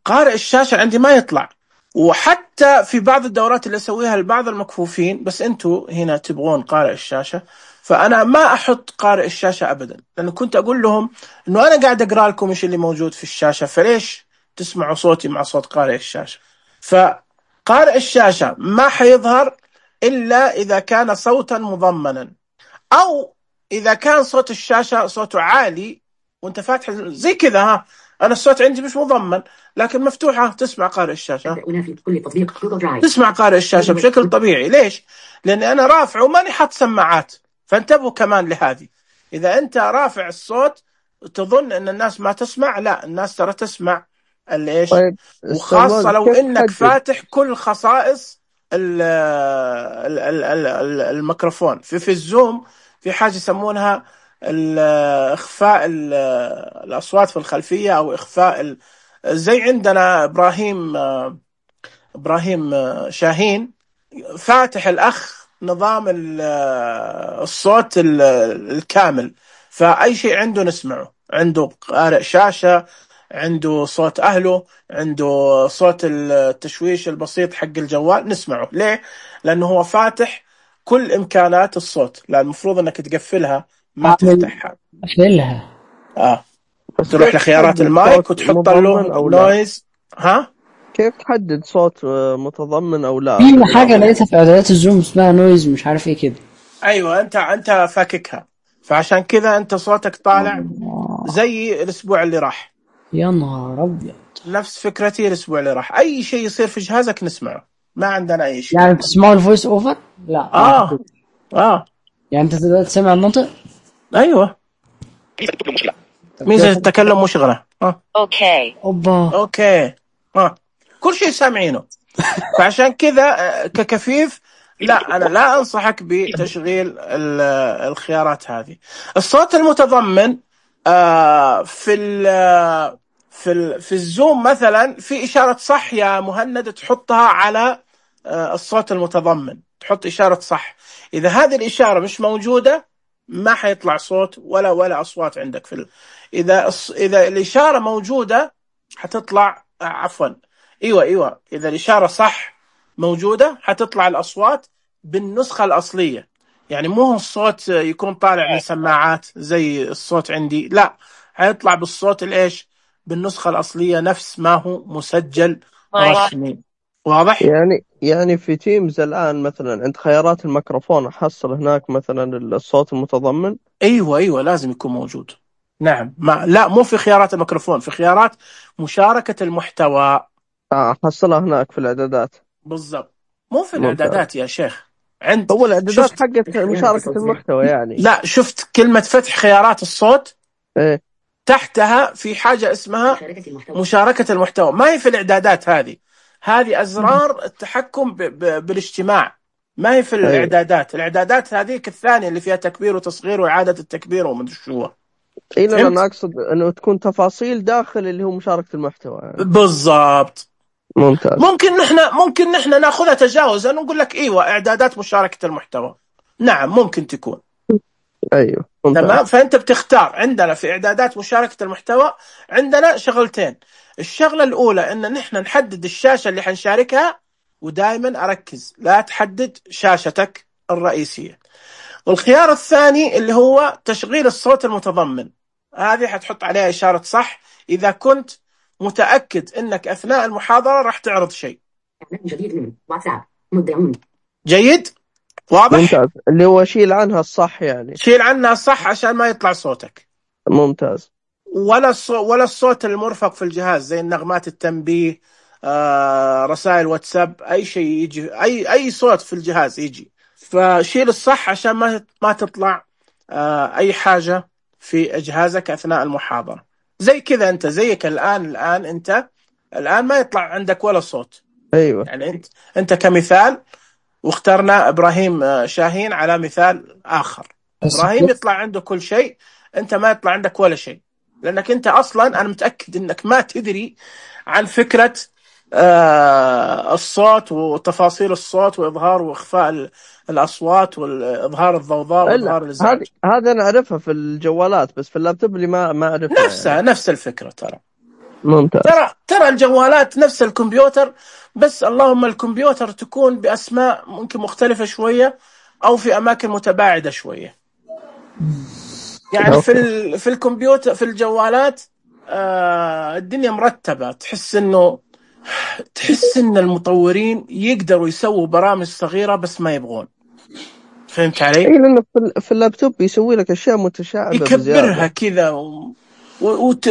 Speaker 1: قارئ الشاشة عندي ما يطلع. وحتى في بعض الدورات اللي أسويها لبعض المكفوفين، بس أنتوا هنا تبغون قارئ الشاشة، فأنا ما أحط قارئ الشاشة أبدا، لأنه كنت أقول لهم أنه أنا قاعد أقرأ لكم إيش اللي موجود في الشاشة، فليش تسمعوا صوتي مع صوت قارئ الشاشة؟ فقارئ الشاشة ما حيظهر إلا إذا كان صوتا مضمنا، أو إذا كان صوت الشاشة صوته عالي وأنت فاتح زي كذا. أنا الصوت عندي مش مضمن لكن مفتوحة، تسمع قارئ الشاشة، تسمع قارئ الشاشة بشكل طبيعي. ليش؟ لأني أنا رافع وماني حاط سماعات. فانتبهوا كمان لهذه، إذا أنت رافع الصوت تظن أن الناس ما تسمع، لا، الناس ترى تسمع الإيش.
Speaker 2: طيب
Speaker 1: وخاصة لو إنك فاتح كل خصائص الميكروفون. في الزوم في حاجة يسمونها إخفاء الأصوات في الخلفية، أو إخفاء زي عندنا إبراهيم شاهين فاتح الأخ نظام الصوت الكامل، فأي شيء عنده نسمعه، عنده قارئ شاشة، عنده صوت أهله، عنده صوت التشويش البسيط حق الجوال، نسمعه. ليه؟ لأنه هو فاتح كل إمكانات الصوت، لا المفروض أنك تقفلها ما
Speaker 6: أعمل
Speaker 1: تفتحها.
Speaker 6: أقفلها.
Speaker 2: بس
Speaker 1: تروح
Speaker 2: كيف
Speaker 1: لخيارات
Speaker 2: تحدد
Speaker 1: المايك
Speaker 2: صوت
Speaker 1: وتحط له
Speaker 2: مضمن أو لا؟
Speaker 1: نويز.
Speaker 2: كيف تحدد صوت متضمن أو لا؟
Speaker 6: في حاجة لقيتها في إعدادات الزوم اسمها نويز مش عارف إيه كده.
Speaker 1: أيوة أنت فاككها، فعشان كذا أنت صوتك طالع زي الأسبوع اللي راح.
Speaker 6: يا نهار أبيض.
Speaker 1: نفس فكرتي الأسبوع اللي راح، أي شيء يصير في جهازك نسمعه، ما عندنا أي شيء.
Speaker 6: يعني بتسمعوا الفويس أوفر؟ لا. يعني أنت تقدر تسمع النطق؟
Speaker 1: أيوة. ميزة التكلم مشغلة.
Speaker 3: اوكي.
Speaker 1: اوكي. كل شيء سامعينه. فعشان كذا ككفيف لا، انا لا انصحك بتشغيل الخيارات هذه. الصوت المتضمن في الزوم مثلا في اشارة صح يا مهند، تحطها على الصوت المتضمن، تحط اشارة صح. اذا هذه الاشارة مش موجودة ما حيطلع صوت ولا اصوات عندك اذا الاشاره موجوده حتطلع عفوا ايوه اذا الاشاره صح موجوده حتطلع الاصوات بالنسخه الاصليه. يعني مو الصوت يكون طالع من سماعات زي الصوت عندي، لا، حيطلع بالصوت الايش، بالنسخه الاصليه نفس ما هو مسجل رسمي. واضح؟
Speaker 2: يعني في تيمز الآن مثلا عند خيارات الميكروفون أحصل هناك مثلا الصوت المتضمن.
Speaker 1: ايوه لازم يكون موجود. نعم، لا مو في خيارات الميكروفون، في خيارات مشاركة المحتوى.
Speaker 2: أحصلها هناك في الإعدادات.
Speaker 1: بالضبط، مو في الإعدادات يا شيخ.
Speaker 2: هو الإعدادات حقت مشاركة المحتوى يعني.
Speaker 1: لا، شفت كلمة فتح خيارات الصوت؟
Speaker 2: إيه؟
Speaker 1: تحتها في حاجة اسمها مشاركة المحتوى، ما هي في الإعدادات. هذه أزرار التحكم بالاجتماع، ما هي في الإعدادات. الإعدادات هذيك الثانية اللي فيها تكبير وتصغير وإعادة التكبير ومن شو.
Speaker 2: أنا أقصد أنه تكون تفاصيل داخل اللي هو مشاركة المحتوى يعني.
Speaker 1: بالضبط.
Speaker 2: ممتاز.
Speaker 1: ممكن نحن ناخذها تجاوزا ونقول لك ايوه اعدادات مشاركة المحتوى، نعم ممكن تكون.
Speaker 2: ايوه
Speaker 1: تمام. فانت بتختار. عندنا في اعدادات مشاركة المحتوى عندنا شغلتين. الشغلة الاولى ان نحن نحدد الشاشة اللي حنشاركها، ودائما اركز لا تحدد شاشتك الرئيسية. والخيار الثاني اللي هو تشغيل الصوت المتضمن، هذه حتحط عليها اشارة صح اذا كنت متأكد انك اثناء المحاضرة راح تعرض شيء جيد. واضح؟
Speaker 2: ممتاز. اللي هو شيل عنها الصح يعني.
Speaker 1: شيل عنها الصح عشان ما يطلع صوتك.
Speaker 2: ممتاز.
Speaker 1: ولا الصوت المرفق في الجهاز زي النغمات التنبيه، رسائل واتساب، اي شيء يجي، اي صوت في الجهاز يجي، فشيل الصح عشان ما تطلع اي حاجة في جهازك اثناء المحاضرة. زي كذا انت زيك الان انت الان ما يطلع عندك ولا صوت.
Speaker 2: ايوه.
Speaker 1: يعني انت كمثال، واخترنا ابراهيم شاهين على مثال اخر. ابراهيم يطلع عنده كل شيء، انت ما يطلع عندك ولا شيء، لانك انت اصلا انا متاكد انك ما تدري عن فكره الصوت وتفاصيل الصوت واظهار واخفاء الاصوات واظهار الضوضاء واظهار الازعاج.
Speaker 2: هذا انا اعرفها في الجوالات، بس في اللابتوب اللي ما اعرفها.
Speaker 1: نفسها يعني. نفس الفكره ترى.
Speaker 2: ممتاز.
Speaker 1: ترى الجوالات نفس الكمبيوتر، بس اللهم الكمبيوتر تكون بأسماء ممكن مختلفة شوية أو في أماكن متباعدة شوية. يعني في الكمبيوتر في الجوالات الدنيا مرتبة، تحس إن المطورين يقدروا يسووا برامج صغيرة بس ما يبغون. فهمت علي؟
Speaker 2: إيه، لأنه في اللابتوب يسوي لك أشياء متشعبة
Speaker 1: يكبرها كذا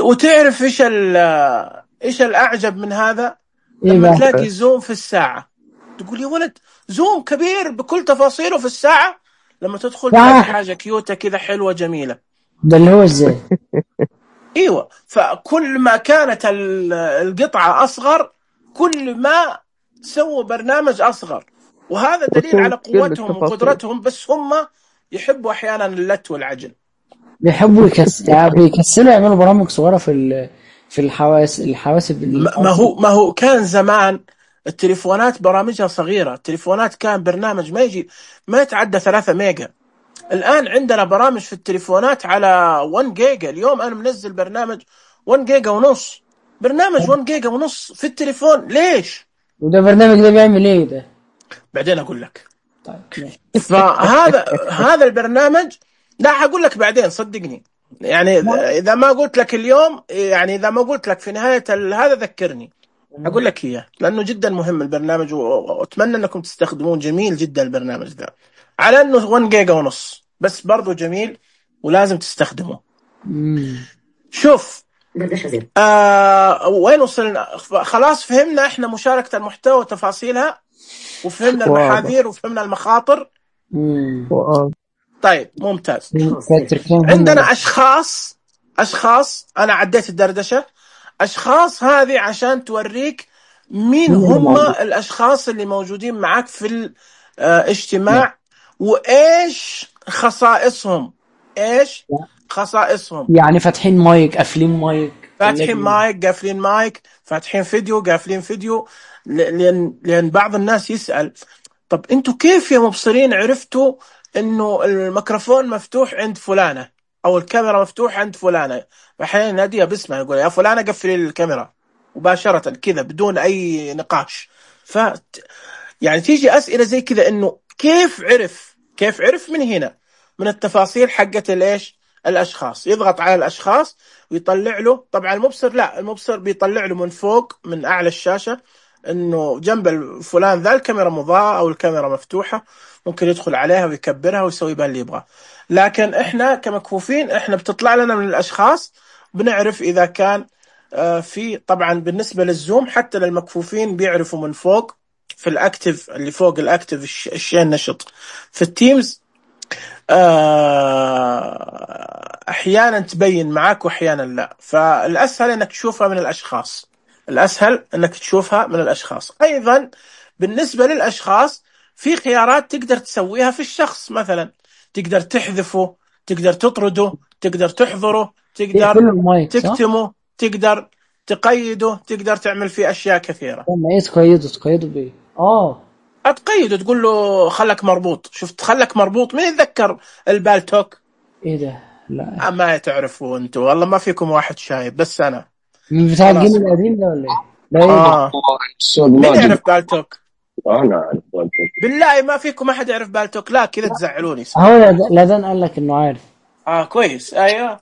Speaker 1: وتعرف إيش الأعجب من هذا؟ لما تلاقي زوم في الساعة تقول يا ولد زوم كبير بكل تفاصيله في الساعة، لما تدخل تلاقي حاجة كيوتة كذا حلوة جميلة.
Speaker 6: ده اللي هو ازاي؟
Speaker 1: ايوه، فكل ما كانت القطعة أصغر كل ما سووا برنامج أصغر، وهذا دليل على قوتهم وقدرتهم. بس هم يحبوا أحيانا اللت والعجل،
Speaker 6: بيحبوا يكسلوا يعملوا برامج صغيرة في الحواسب.
Speaker 1: ما هو كان زمان التليفونات برامجها صغيرة. التليفونات كان برنامج ما يتعدى 3 ميجا. الآن عندنا برامج في التليفونات على 1 جيجا. اليوم أنا منزل برنامج 1 جيجا ونص، برنامج 1 جيجا ونص في التليفون. ليش؟
Speaker 6: وده برنامج ده بيعمل ايه ده؟
Speaker 1: بعدين أقول لك.
Speaker 6: طيب
Speaker 1: فهذا البرنامج لا هقول لك بعدين صدقني، يعني إذا ما قلت لك اليوم، يعني إذا ما قلت لك في نهاية هذا ذكرني أقول لك إياه، لأنه جدا مهم البرنامج، وأتمنى أنكم تستخدمون. جميل جدا البرنامج ذا، على أنه 1 جيجا ونص بس برضو جميل ولازم تستخدمه. شوف وين وصلنا؟ خلاص فهمنا إحنا مشاركة المحتوى وتفاصيلها، وفهمنا المحاذير وفهمنا المخاطر. طيب ممتاز. عندنا أشخاص أنا عديت الدردشة. أشخاص هذه عشان توريك مين هم الأشخاص اللي موجودين معك في الاجتماع وإيش خصائصهم. إيش خصائصهم؟
Speaker 6: يعني فاتحين مايك، قافلين مايك،
Speaker 1: فاتحين مايك، قافلين مايك، فاتحين فيديو، قافلين فيديو. لأن بعض الناس يسأل طب أنتوا كيف يا مبصرين عرفتوا إنه الميكروفون مفتوح عند فلانة أو الكاميرا مفتوح عند فلانة؟ أحيانا ناديها باسمها، يقول يا فلانة قفلي الكاميرا مباشرة كذا بدون أي نقاش. يعني تيجي أسئلة زي كذا، إنه كيف عرف من هنا، من التفاصيل حقت الإيش الأشخاص. يضغط على الأشخاص ويطلع له. طبعا المبصر بيطلع له من فوق من أعلى الشاشة إنه جنب فلان ذا الكاميرا مضاءة أو الكاميرا مفتوحة، ممكن يدخل عليها ويكبرها ويسوي بها اللي يبغاه. لكن إحنا كمكفوفين إحنا بتطلع لنا من الأشخاص، بنعرف إذا كان في. طبعا بالنسبة للزوم حتى للمكفوفين بيعرفوا من فوق في الأكتف، اللي فوق الأكتف الشيء النشط. في التيمز أحيانا تبين معك وأحيانا لا، فالأسهل أنك تشوفها من الأشخاص. أيضا بالنسبة للأشخاص في خيارات تقدر تسويها في الشخص، مثلا تقدر تحذفه، تقدر تطرده، تقدر تحضره، تقدر تكتمه، تقدر تقيده، تقدر تعمل فيه أشياء كثيرة.
Speaker 6: ما تقيده بيه؟
Speaker 1: أتقيده، تقول له خلك مربوط. شفت خلك مربوط؟ مين يتذكر البالتوك؟
Speaker 6: إيه ده؟ لا
Speaker 1: ما تعرفوا أنتوا، والله ما فيكم واحد شايب، بس أنا
Speaker 6: من بتاع الجيل القديم ده ولا إيه؟
Speaker 1: مين يعرف بالتوك؟ أنا أعرف بالتوك. بالله ما فيكم أحد يعرف بالتوك؟ لا كذا تزعلوني.
Speaker 6: لا ده قال لك إنه عارف.
Speaker 1: كويس. أيوه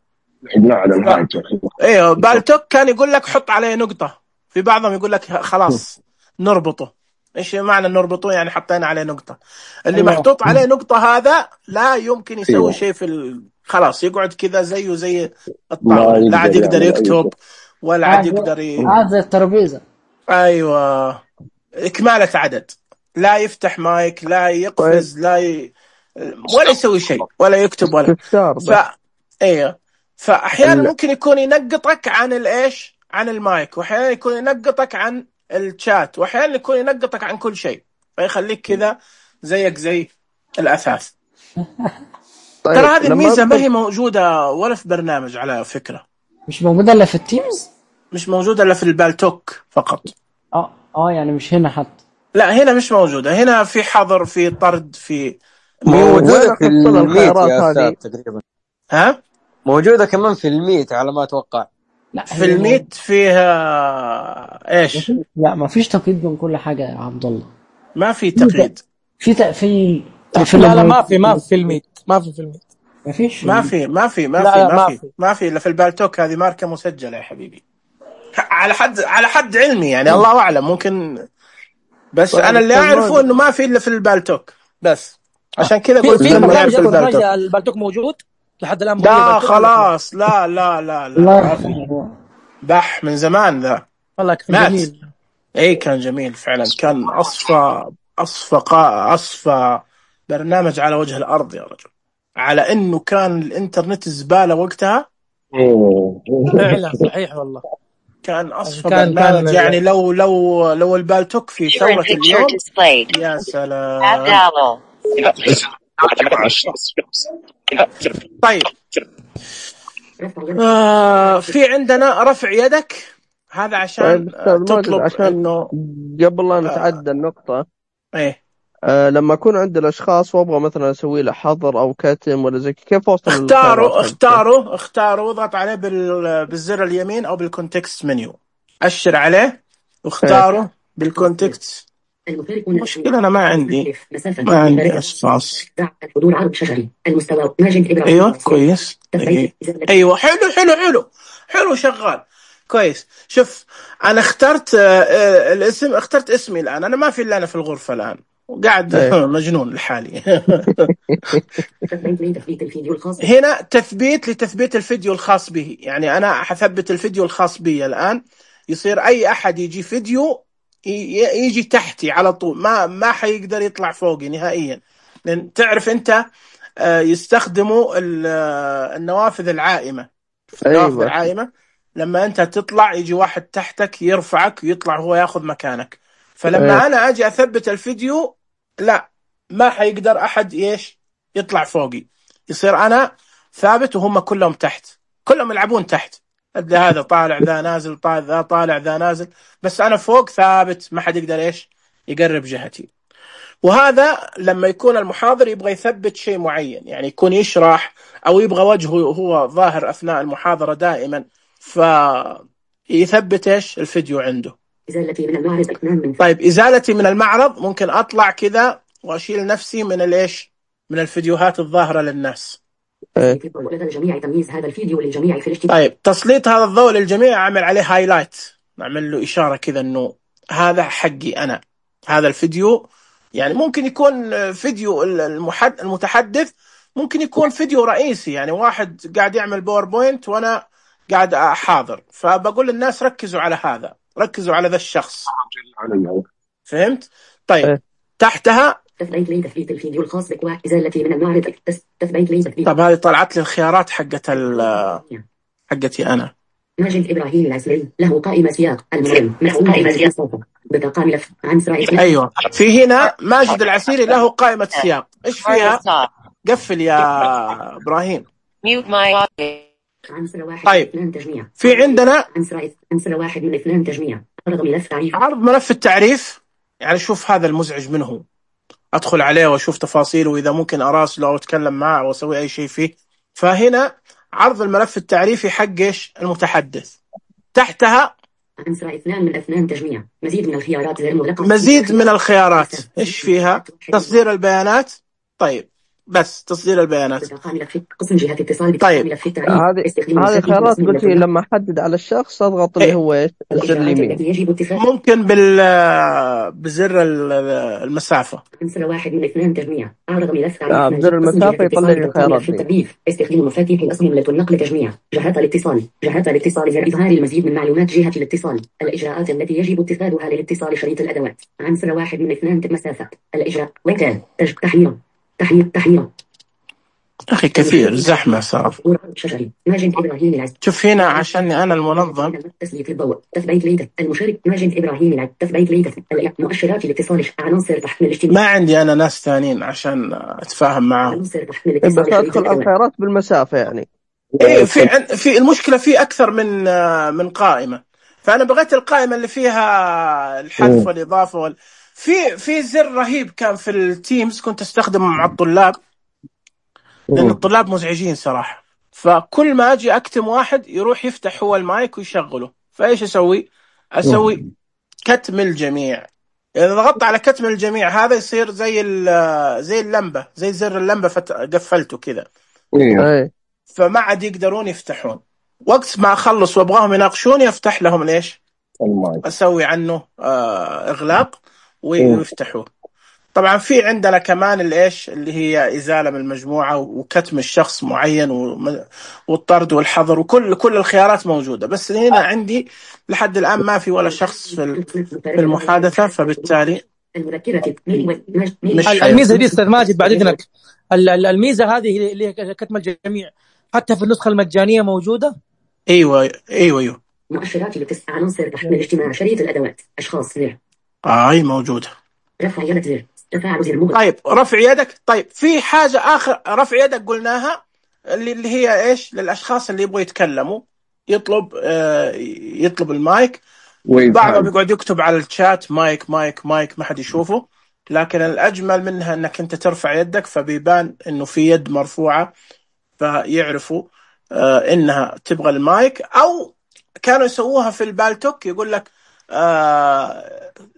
Speaker 1: ايوه بالتوك كان يقول لك حط عليه نقطة، في بعضهم يقول لك خلاص نربطه. ايش معنى نربطه؟ يعني حطينا عليه نقطة. اللي محطوط عليه نقطة هذا لا يمكن يسوي شيء خلاص يقعد كذا زيه زي الطاولة، لا عاد يقدر يكتب ولا عاد يقدر
Speaker 6: زي الترابيزة.
Speaker 1: ايوه إكمالة عدد، لا يفتح مايك، لا يقفز، ولا يسوي شيء، ولا يكتب ولا ايوه. فأحيانا ممكن يكون ينقطك عن الإيش، عن المايك، وأحيانا يكون ينقطك عن الشات، وأحيانا يكون ينقطك عن كل شيء، فيخليك كذا زيك زي الأثاث. ترى هذه الميزة ما هي موجودة ولا في برنامج على فكرة.
Speaker 6: مش موجودة إلا في التيمز؟
Speaker 1: مش موجودة إلا في البالتوك فقط.
Speaker 6: يعني مش هنا حتى؟
Speaker 1: لا هنا مش موجودة. هنا في حظر، في طرد، في
Speaker 7: موجودة في الميت يا أستاذ تقريبا.
Speaker 1: ها؟
Speaker 7: موجودة كمان في الميت على ما أتوقع.
Speaker 1: لا في الميت فيها إيش؟
Speaker 6: لا ما فيش تقييد من كل حاجة يا عبد الله.
Speaker 1: ما في تقييد.
Speaker 6: في تقفيل.
Speaker 8: لا ما في الميت. ما فيش.
Speaker 1: ما في إلا في البالتوك. هذه ماركة مسجلة يا حبيبي، على حد علمي يعني، الله أعلم ممكن، بس أنا اللي أعرفه إنه ما في إلا في البالتوك بس. عشان كذا قلت
Speaker 8: في البالتوك موجود لحد الآن.
Speaker 1: لا خلاص لا بح من زمان ذا.
Speaker 8: والله كان جميل.
Speaker 1: كان جميل فعلا. كان أصفى برنامج على وجه الأرض يا رجل، على إنه كان الإنترنت زبالة وقتها.
Speaker 8: فعلا صحيح والله.
Speaker 1: كان أصفى برنامج يعني. لو البالتوك في ثورة اليوم يا سلام. طيب في عندنا رفع يدك، هذا عشان تطلب إنه
Speaker 2: قبل لا نتعدى النقطة.
Speaker 1: إيه
Speaker 2: لما أكون عند الأشخاص وأبغى مثلا أسوي له حظر أو كتم ولا زي كيف أوصل؟ اختاروا اضغط عليه بالزر اليمين أو بالكونتكست منيو، أشر عليه واختاروا بالكونتكست
Speaker 1: مشكلة أنا ما عندي أشخاص.
Speaker 5: حضور عرض شجري المستوى ماجد إبراهيم.
Speaker 1: أيوة كويس. أيوة حلو شغال كويس. شوف أنا اخترت الاسم، اخترت اسمي الآن. أنا ما في إلا أنا في الغرفة الآن وقاعد مجنون لحالي. هنا تثبيت لتثبيت الفيديو الخاص به. يعني أنا حثبت الفيديو الخاص بي الآن، يصير أي أحد يجي فيديو يجي تحتي على طول، ما حيقدر يطلع فوقي نهائيا. لأن تعرف أنت يستخدموا النوافذ العائمة. النوافذ العائمة لما أنت تطلع يجي واحد تحتك يرفعك ويطلع هو ياخذ مكانك. فلما أنا أجي أثبت الفيديو لا، ما حيقدر أحد يطلع فوقي. يصير أنا ثابت وهم كلهم تحت، كلهم يلعبون تحت. هذا طالع ذا نازل، ذا طالع ذا نازل، بس أنا فوق ثابت، ما حد يقدر يقرب جهتي. وهذا لما يكون المحاضر يبغى يثبت شيء معين، يعني يكون يشرح أو يبغى وجهه هو ظاهر أثناء المحاضرة دائما، فيثبت الفيديو عنده.
Speaker 5: إزالتي من المعرض.
Speaker 1: طيب إزالتي من المعرض ممكن أطلع كذا وأشيل نفسي من من الفيديوهات الظاهرة للناس.
Speaker 5: للجميع تمييز هذا الفيديو للجميع في الاشتراك.
Speaker 1: طيب تسليط هذا الضوء للجميع، أعمل عليه هايلايت، نعمل له إشارة كذا إنه هذا حقي أنا، هذا الفيديو. يعني ممكن يكون فيديو المتحدث، ممكن يكون فيديو رئيسي، يعني واحد قاعد يعمل باوربوينت وأنا قاعد أحاضر، فبقول للناس ركزوا على هذا، ركزوا على ذا الشخص. فهمت؟ طيب تحتها
Speaker 5: تثبيت لتثبيت الفيديو الخاص بك وإزالتي من المعرض. تثبيت لتثبيت.
Speaker 1: طب هذه طلعت لي الخيارات حقتي أنا.
Speaker 5: ماجد إبراهيم العسلي له قائمة سياق المهم قائمة سياق بطاقة ملف عن سرائيل.
Speaker 1: أيوة في هنا ماجد العسيري له قائمة سياق. إيش فيها؟ قفل يا إبراهيم.
Speaker 5: عنصر واحد
Speaker 1: طيب.
Speaker 5: 2 تجميع.
Speaker 1: في عندنا
Speaker 5: عنصر 1 من 2 تجميع. عرض ملف تعريف.
Speaker 1: عرض ملف التعريف. يعني شوف هذا المزعج منه، أدخل عليه وأشوف تفاصيله، وإذا ممكن أراسله أو أتكلم معه أو أسوي أي شيء فيه. فهنا عرض الملف التعريفي حق المتحدث. تحتها
Speaker 5: عنصر 2 من 2 تجميع. مزيد من الخيارات غير مغلقة.
Speaker 1: مزيد من الخيارات. إيش فيها؟ تصدير البيانات. طيب بس تصدير البيانات.
Speaker 5: قسم جهة اتصال.
Speaker 1: طيب
Speaker 2: هذه خيارات قلت لي لما أحدد على الشخص أضغط اللي هو الزر اليمين.
Speaker 1: ممكن بزر المسافة.
Speaker 5: عنصر 1 من 2 تجميع. أعرض ملف
Speaker 2: بزر المسافة يطلع لي الخيارات دي.
Speaker 5: استخدام مفاتيح الأصممة النقل تجميع. جهات الاتصال لإظهار المزيد من معلومات جهة الاتصال. الإجراءات التي يجب اتخاذها للاتصال. شريط الأدوات. عنصر 1 من 2 مسافة. الإجراء وكان تحميل
Speaker 1: أخي كثير زحمة صار.
Speaker 5: ماجد إبراهيم العز.
Speaker 1: شوف هنا عشان أنا المنظم.
Speaker 5: تسليط الضوء. تثبيت ليدك المشارك. ماجد إبراهيم العز. تثبيت ليدك مؤشرات الاتصال. عناصر تحميل الاجتماع.
Speaker 1: ما عندي أنا ناس ثانيين عشان أتفاهم معهم.
Speaker 2: بس أدخل الخيارات بالمسافة يعني.
Speaker 1: إيه في المشكلة في أكثر من قائمة، فأنا بغيت القائمة اللي فيها الحذف والإضافة في زر رهيب كان في التيمز كنت أستخدمه مع الطلاب، لأن الطلاب مزعجين صراحة. فكل ما أجي أكتم واحد يروح يفتح هو المايك ويشغله، فإيش أسوي كتم الجميع. إذا ضغطت على كتم الجميع هذا يصير زي اللمبة، زي زر اللمبة قفلته كذا، فما عاد يقدرون يفتحون. وقت ما أخلص وأبغاهم يناقشوني أفتح لهم أسوي عنه إغلاق ويفتحوه. طبعا في عندنا كمان اللي هي إزالة من المجموعة وكتم الشخص معين والطرد والحظر وكل الخيارات موجودة، بس هنا عندي لحد الآن ما في ولا شخص في المحادثة، فبالتالي
Speaker 8: الميزة دي أستاذ ماجد بعد إذنك، الميزة هذه اللي هي كتم الجميع حتى في النسخة المجانية موجودة.
Speaker 1: أيوة.
Speaker 5: مؤشرات الاتصال. عنصر تحميل الاجتماع. شريط الأدوات. أشخاص زر.
Speaker 1: هاي موجودة.
Speaker 5: رفع يدك زر. تفاعل زر مغلق.
Speaker 1: طيب رفع يدك. طيب في حاجة آخر، رفع يدك قلناها اللي هي إيش للأشخاص اللي يبغوا يتكلموا، يطلب المايك. بعضهم يقعد يكتب على الشات مايك مايك مايك ما حد يشوفه، لكن الأجمل منها أنك أنت ترفع يدك فبيبان أنه في يد مرفوعة، فيعرفوا إنها تبغى المايك. أو كانوا يسووها في البالتوك، يقول لك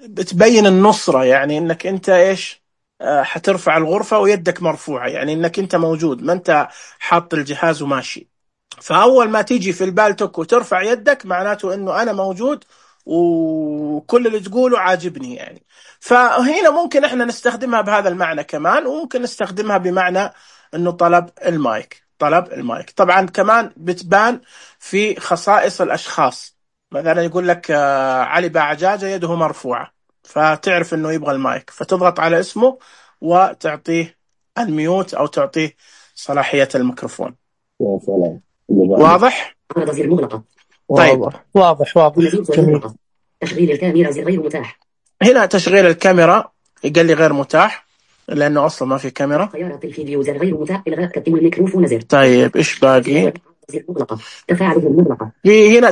Speaker 1: بتبين النصرة، يعني انك انت ايش حترفع الغرفة ويدك مرفوعة، يعني انك انت موجود، ما انت حاط الجهاز وماشي. فاول ما تيجي في البالتوك وترفع يدك معناته انه انا موجود وكل اللي تقوله عاجبني يعني. فهنا ممكن احنا نستخدمها بهذا المعنى كمان، وممكن نستخدمها بمعنى انه طلب المايك. طبعا كمان بتبان في خصائص الاشخاص، مثلا يقول لك علي باعجاجة يده مرفوعة، فتعرف انه يبغى المايك، فتضغط على اسمه وتعطيه الميوت او تعطيه صلاحية الميكروفون. واضح؟ طيب
Speaker 8: واضح.
Speaker 5: جميل. تشغيل الكاميرا زر غير متاح.
Speaker 1: هنا تشغيل الكاميرا قال لي غير متاح لانه اصلا ما في كاميرا.
Speaker 5: خيارات الفيديو زر غير متاح. الغاء تقديم الميكروفون زر.
Speaker 1: طيب ايش باقي؟
Speaker 5: زر مغلقة. تفاعل مغلقة.
Speaker 1: في هنا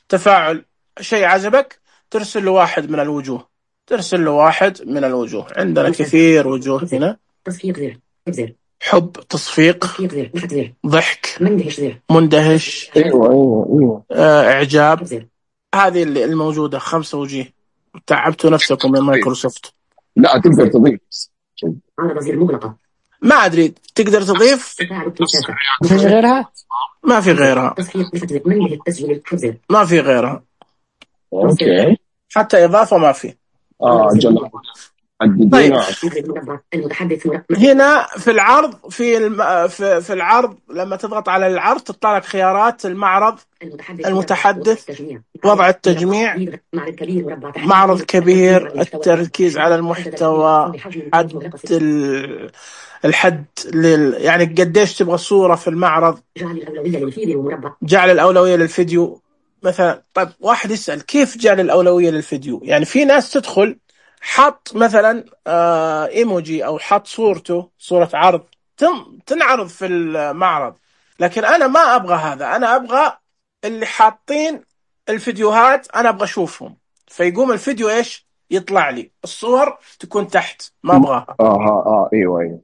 Speaker 1: تفاعل شيء عجبك ترسل له واحد من الوجوه. عندنا كثير وجوه هنا.
Speaker 5: تصفيق زر.
Speaker 1: حب، تصفيق، ضحك، مندهش،
Speaker 7: ايوه
Speaker 1: اعجاب. هذه اللي الموجودة 5 وجيه. تعبتوا نفسكم من مايكروسوفت.
Speaker 7: لا تقدر تضيف
Speaker 5: عرض زر مغلقة.
Speaker 1: ما أدري تقدر تضيف.
Speaker 6: في غيرها؟
Speaker 1: ما في غيرها. ما في غيرها.
Speaker 7: اوكي.
Speaker 1: حتى إضافة ما في.
Speaker 7: جل.
Speaker 1: طيب. هنا في العرض في العرض لما تضغط على العرض تطلع لك خيارات المعرض، المتحدث، وضع التجميع، معرض كبير، التركيز على المحتوى، الحد يعني قديش تبغى صورة في المعرض، جعل الأولوية للفيديو مثلا. طيب واحد يسأل كيف جعل الأولوية للفيديو؟ يعني في ناس تدخل حط مثلا ايموجي او حط صورة عرض تنعرض في المعرض، لكن انا ما ابغى هذا. انا ابغى اللي حاطين الفيديوهات انا ابغى اشوفهم، فيقوم الفيديو ايش يطلع لي، الصور تكون تحت، ما ابغاها.
Speaker 7: ايوه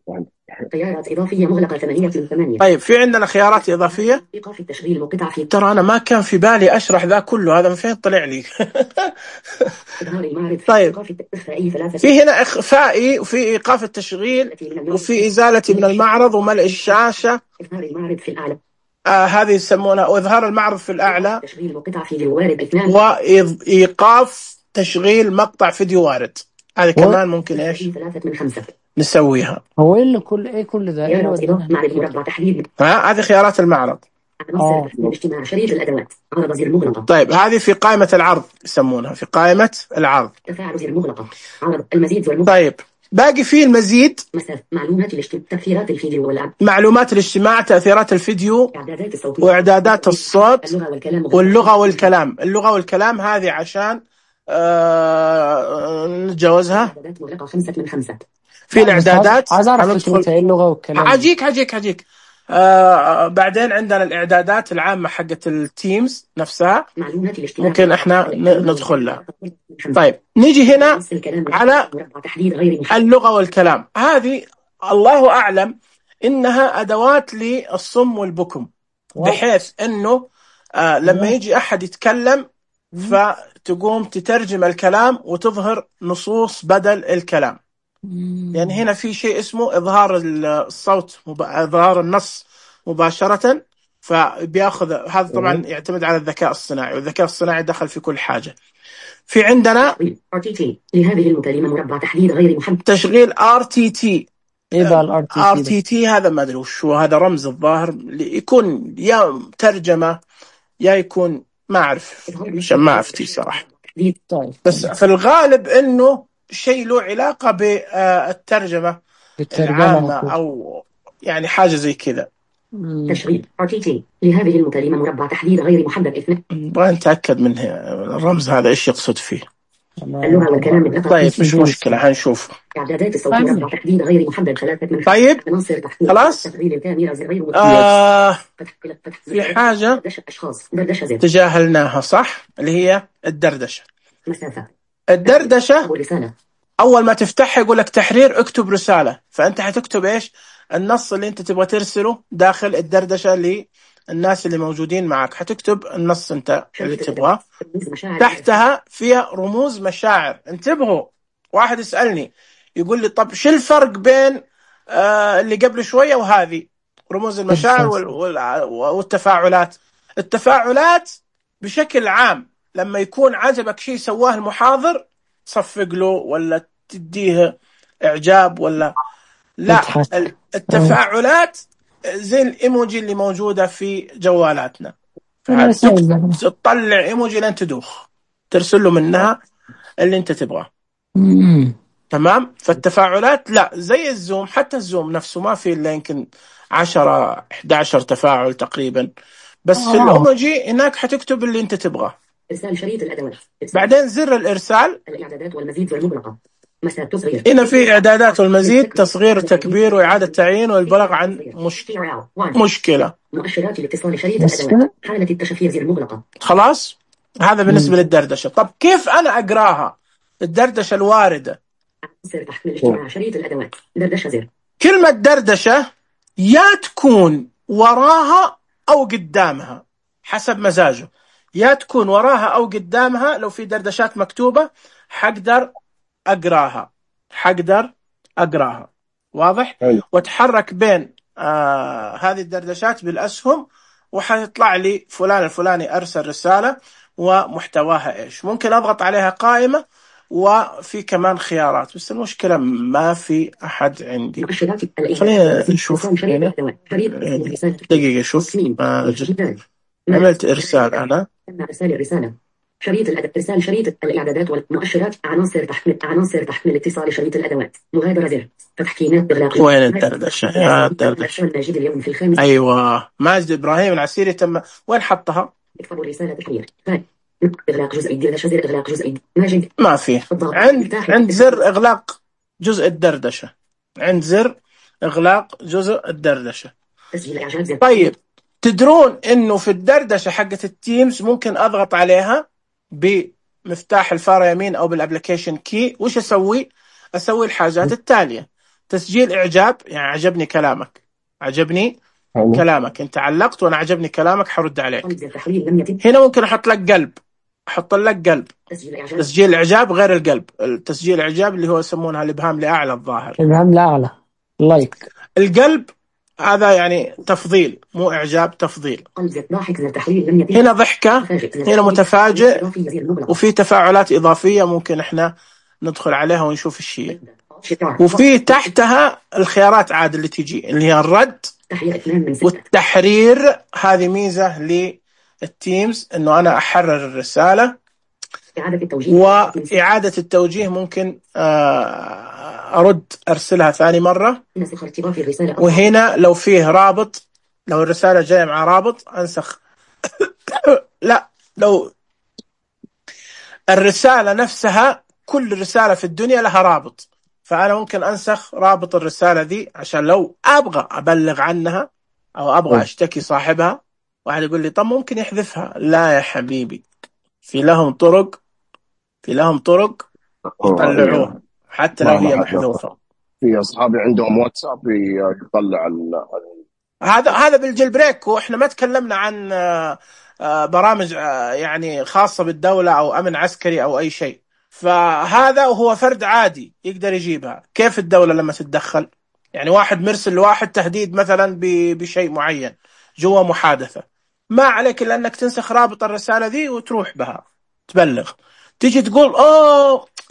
Speaker 5: خيارات إضافية مغلقة 8/8.
Speaker 1: طيب في عندنا خيارات إضافية.
Speaker 5: إيقاف التشغيل وقطع في.
Speaker 1: ترى أنا ما كان في بالي أشرح ذا كله، هذا من فين طلع لي؟ طيب في هنا إخفائي وفي إيقاف التشغيل وفي إزالة من المعرض وملء الشاشة.
Speaker 5: إظهار المعرض في الأعلى.
Speaker 1: هذه يسمونها إظهار المعرض في الأعلى،
Speaker 5: تشغيل مقطع فيديو وارد 2.
Speaker 1: وإيقاف تشغيل مقطع فيديو وارد. هذه كمان ممكن إيش
Speaker 5: 3/5
Speaker 1: نسويها.
Speaker 6: هو إيه كل ذا؟
Speaker 1: هذه خيارات المعرض.
Speaker 5: اجتماع شريط الأدوات. عرض زر مغلقة.
Speaker 1: طيب هذه في قائمة العرض يسمونها، في قائمة العرض.
Speaker 5: تفاعل زر مغلقة. عرض المزيد زر مغلقة.
Speaker 1: طيب باقي فيه المزيد.
Speaker 5: معلومات الاجتماع، تأثيرات الفيديو واللعب.
Speaker 1: معلومات الاجتماع، تأثيرات الفيديو، وإعدادات الصوت، واللغة والكلام. اللغة والكلام هذه عشان نتجاوزها.
Speaker 5: إعدادات مغلقة 5/5.
Speaker 1: في الإعدادات
Speaker 6: عايز أعرف فكرة اللغة والكلام.
Speaker 1: حجيك. بعدين عندنا الإعدادات العامة حقت التيمز نفسها، ممكن إحنا ندخل لها. طيب نيجي هنا على اللغة والكلام. هذه الله أعلم إنها أدوات للصم والبكم، بحيث إنه لما يجي أحد يتكلم فتقوم تترجم الكلام وتظهر نصوص بدل الكلام. يعني هنا في شيء اسمه إظهار الصوت، إظهار النص مباشرة، فبياخذ هذا. طبعا يعتمد على الذكاء الصناعي، والذكاء الصناعي دخل في كل حاجة. في عندنا
Speaker 5: RTT لهذه المكالمة مربع تحديد غير محدد.
Speaker 1: تشغيل RTT.
Speaker 6: إيه ال
Speaker 1: RTT هذا ما أدري وش هو، هذا رمز الظاهر يكون يا ترجمة يا يكون ما أعرف، عشان ما أفتي صراحة. بس في الغالب إنه شيء له علاقة بالترجمة العامة أو يعني حاجة زي كذا.
Speaker 5: تشغيل RTT لهذه المكالمة مربع تحديد غير محدد 2.
Speaker 1: نبغى نتأكد من الرمز هذا إيش يقصد فيه.
Speaker 5: اللغة والكلام.
Speaker 1: طيب مش مشكلة، هنشوف.
Speaker 5: إعدادات الصوت مربع تحديد غير محدد 3/5.
Speaker 1: طيب خلاص. في حاجة تجاهلناها صح، اللي هي الدردشة. الدردشة أول ما تفتحها يقول لك تحرير، اكتب رسالة. فأنت حتكتب إيش النص اللي أنت تبغى ترسله داخل الدردشة الناس اللي موجودين معك، حتكتب النص انت اللي تبغاه، تحتها فيها رموز مشاعر. انتبهوا، واحد يسألني يقول لي طب شو الفرق بين اللي قبل شوية وهذه؟ رموز المشاعر والتفاعلات. التفاعلات بشكل عام لما يكون عجبك شيء سواه المحاضر صفق له ولا تديه إعجاب ولا لا. التفاعلات زي الإيموجي اللي موجودة في جوالاتنا، تطلع إيموجي لين تدوخ، ترسل له منها اللي انت تبغاه. تمام. فالتفاعلات لا زي الزوم، حتى الزوم نفسه ما في إلا يمكن 10-11 تفاعل تقريبا، بس في الإيموجي هناك حتكتب اللي انت تبغاه.
Speaker 5: إرسال شريط الأدوات.
Speaker 1: بعدين زر الإرسال،
Speaker 5: الإعدادات والمزيد والمغلقة، مسار تصغير.
Speaker 1: هنا في إعدادات والمزيد، تصغير وتكبير وإعادة تعيين والبلاغ عن مشكلة.
Speaker 5: مؤشرات الاتصال شريط الأدوات، حالة التشفير زر مغلقة.
Speaker 1: خلاص، هذا بالنسبة للدردشة. طب كيف أنا أقراها الدردشة الواردة؟
Speaker 5: سر تحميل اجتماع شريط الأدوات، دردشة زر.
Speaker 1: كلمة دردشة يا تكون وراها أو قدامها حسب مزاجه، يا تكون وراها أو قدامها. لو في دردشات مكتوبة حقدر أقراها، واضح؟ واتحرك بين هذه الدردشات بالأسهم وحيطلع لي فلان الفلاني أرسل رسالة ومحتواها إيش. ممكن أضغط عليها قائمة وفي كمان خيارات، بس المشكلة ما في أحد عندي. خلينا نشوف هنا دقيقة. شوف عملت إرسال أنا.
Speaker 5: شريط إرسال شريط الإعدادات والمؤشرات، عناصر تحميل اتصال شريط الأدوات، مغادرة زر، تحكيمات إغلاق.
Speaker 1: وين الدردشة؟
Speaker 5: ماجد اليوم في الخامس.
Speaker 1: أيوة، ماجد إبراهيم العسيري تم. وين حطها؟
Speaker 5: اكتبوا رسالة تحرير. إغلاق جزء الدردشة زر، إغلاق جزء ماجد.
Speaker 1: ما فيه. عند زر إغلاق جزء الدردشة، عند زر إغلاق جزء الدردشة. طيب، تدرون إنه في الدردشة حقة التيمز ممكن أضغط عليها بمفتاح الفارة يمين أو بالأبليكيشن كي. وش أسوي الحاجات التالية: تسجيل إعجاب، يعني عجبني كلامك، كلامك أنت علقت وأنا عجبني كلامك حرد عليك. هنا ممكن أحط لك قلب، تسجيل إعجاب غير القلب. التسجيل الإعجاب اللي هو يسمونها الإبهام لأعلى، الظاهر
Speaker 6: الإبهام لأعلى، لايك.
Speaker 1: القلب هذا يعني تفضيل، مو إعجاب، تفضيل. هنا ضحكة، هنا متفاجئ، وفي تفاعلات إضافية ممكن إحنا ندخل عليها ونشوف الشيء. وفي تحتها الخيارات عاد اللي تيجي اللي هي الرد والتحرير. هذه ميزة للتيمز إنه أنا أحرر الرسالة. وإعادة التوجيه ممكن أرسلها ثاني مرة. وهنا لو فيه رابط، لو الرسالة جاية مع رابط أنسخ. لا، لو الرسالة نفسها، كل رسالة في الدنيا لها رابط، فأنا ممكن أنسخ رابط الرسالة دي عشان لو أبغى أبلغ عنها أو أبغى أشتكي صاحبها. واحد يقول لي طب ممكن يحذفها. لا يا حبيبي، في لهم طرق يطلعوها حتى لو هي محذوفة.
Speaker 9: في أصحابي عندهم واتساب يطلع
Speaker 1: هذا بالجيل بريك. وإحنا ما تكلمنا عن برامج يعني خاصة بالدولة أو أمن عسكري أو أي شيء. فهذا هو فرد عادي يقدر يجيبها. كيف الدولة لما تتدخل؟ يعني واحد مرسل لواحد تهديد مثلا بشيء معين جوا محادثة، ما عليك إلا أنك تنسخ رابط الرسالة دي وتروح بها تبلغ. تيجي تقول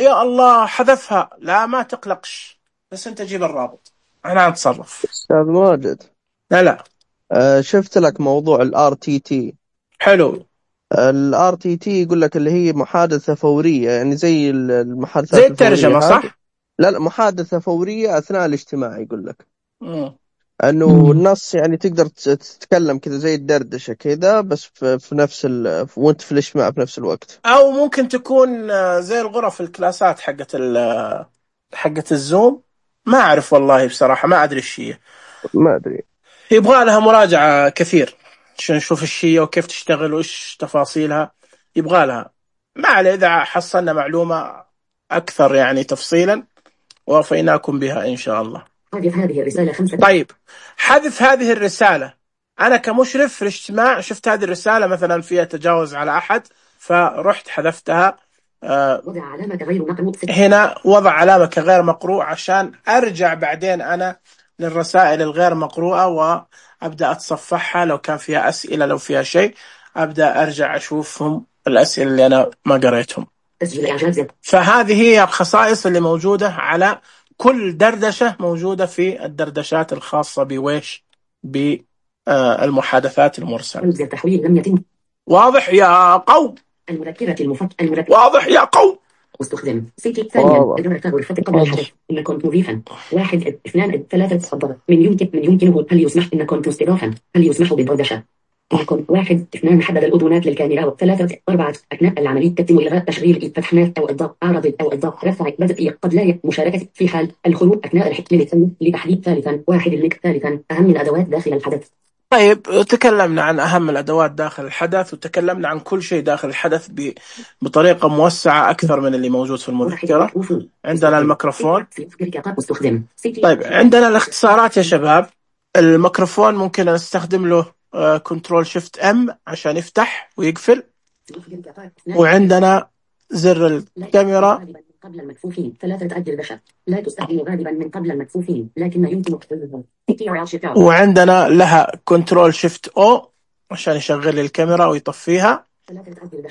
Speaker 1: يا الله حذفها، لا ما تقلقش، بس أنت جيب الرابط أنا أتصرف.
Speaker 2: أستاذ ماجد،
Speaker 1: لا
Speaker 2: شفت لك موضوع الRTT.
Speaker 1: حلو.
Speaker 2: الRTT يقول لك اللي هي محادثة فورية، يعني زي المحادثات
Speaker 1: زي الترجمة، صح؟
Speaker 2: لا، محادثة فورية أثناء الاجتماع. يقول لك أنه النص يعني تقدر تتكلم كذا زي الدردشة كذا، بس في نفس وانت في الاجتماع في نفس الوقت.
Speaker 1: أو ممكن تكون زي الغرف الكلاسات حقت الزوم. ما أعرف والله بصراحة، ما أدري الشيء،
Speaker 2: ما أدري،
Speaker 1: يبغى لها مراجعة كثير عشان نشوف الشيء وكيف تشتغل وإيش تفاصيلها. يبغى لها، ما عليه، إذا حصلنا معلومة أكثر يعني تفصيلا ووفيناكم بها إن شاء الله.
Speaker 5: حذف هذه الرسالة 5.
Speaker 1: طيب، حذف هذه الرسالة أنا كمشرف في الاجتماع شفت هذه الرسالة مثلا فيها تجاوز على أحد، فرحت حذفتها.
Speaker 5: وضع علامة غير مقروء.
Speaker 1: هنا وضع علامة كغير مقروء عشان أرجع بعدين أنا للرسائل الغير مقروءة وأبدأ أتصفحها، لو كان فيها أسئلة، لو فيها شيء أبدأ أرجع أشوفهم الأسئلة اللي أنا ما قريتهم. فهذه هي الخصائص اللي موجودة على كل دردشة موجودة في الدردشات الخاصة بويش بالمحادثات المرسلة.
Speaker 5: التحويل لم يتم.
Speaker 1: واضح يا قوم؟
Speaker 5: المذكرة
Speaker 1: واضح يا قوم؟
Speaker 5: استخدم سيتي ثانيا إدارة غرفة قبل الحدث. إن كنت مضيفا 1 2 3 تفضل. من يمكنه. هل يسمح إن كنت مستضافا؟ هل يسمح بالدردشة؟ إن كنت 1 2 حدد الأذونات للكاميرا. 3 4 أثناء العملية تتم إلغاء تشغيل فتح نات أو إضاءة أعراض أو إضاءة رفع بدء قد لا مشاركة في حال الخروج أثناء الحكم لتحديد. ثالثا 1 اللينك. ثالثا أهم الأدوات داخل الحدث.
Speaker 1: طيب تكلمنا عن أهم الأدوات داخل الحدث، وتكلمنا عن كل شيء داخل الحدث بطريقة موسعة أكثر من اللي موجود في المذكرة. عندنا الميكروفون. طيب عندنا الاختصارات يا شباب. الميكروفون ممكن نستخدم له كنترول شيفت ام عشان يفتح ويقفل. وعندنا زر الكاميرا
Speaker 5: قبل المكفوفين. 3 تأجل بشر. لا تستخدم غالبا من قبل المكفوفين لكن يمكن تحديدها.
Speaker 1: وعندنا لها كنترول شيفت او عشان يشغل لي الكاميرا ويطفيها.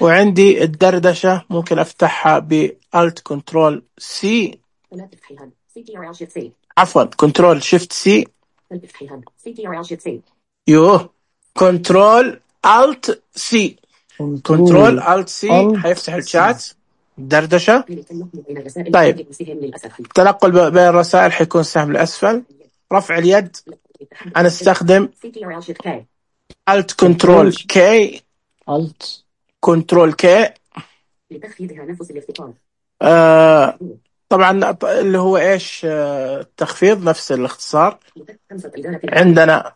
Speaker 1: وعندي الدردشة ممكن افتحها بالت كنترول سي، عفوا كنترول شيفت سي. يوه كنترول الت سي. كنترول الت سي حيفتح الشات دردشة. طيب التنقل بين الرسائل حيكون سهم الأسفل. رفع اليد أنا استخدم Alt Control K.
Speaker 6: Alt
Speaker 1: Control K. طبعا اللي هو إيش التخفيض نفس الاختصار. عندنا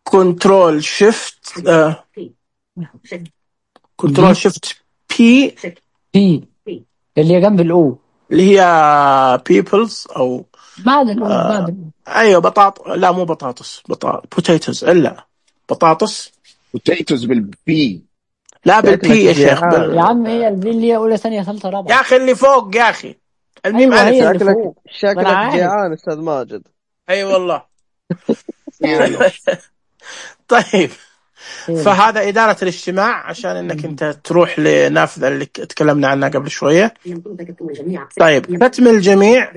Speaker 1: Control Shift Control Shift P
Speaker 6: اللي جنب الأو
Speaker 1: اللي هي peoples أو
Speaker 6: بعد الأو بعد
Speaker 1: أيوة لا مو بطاطس potatoes إلا بطاطس
Speaker 9: potatoes بالبي.
Speaker 1: لا بالبي يا شيخ
Speaker 6: يا عم هي البي اللي هي أولى ثانية ثالثة رابعة
Speaker 1: يا أخي اللي فوق يا أخي الميم
Speaker 6: أيوة
Speaker 2: ألف. شكلك جيعان أستاذ ماجد.
Speaker 1: أي والله. طيب فهذا إدارة الاجتماع عشان إنك أنت تروح لنافذة اللي تكلمنا عنها قبل شوية. طيب ختم الجميع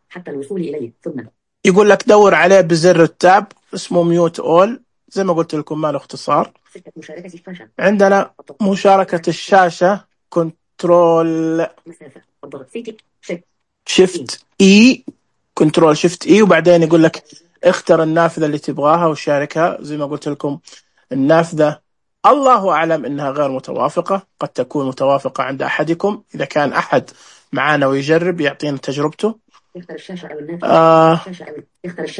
Speaker 5: حتى الوصول إليه. ثم
Speaker 1: يقول لك دور عليه بزر التاب اسمه ميوت أول زي ما قلت لكم ما له اختصار. عندنا مشاركة الشاشة كنترول شيفت إي. كنترول شيفت إي وبعدين يقول لك اختر النافذة اللي تبغاها وشاركها. زي ما قلت لكم النافذة الله أعلم إنها غير متوافقة، قد تكون متوافقة عند أحدكم. إذا كان أحد معانا ويجرب يعطينا تجربته.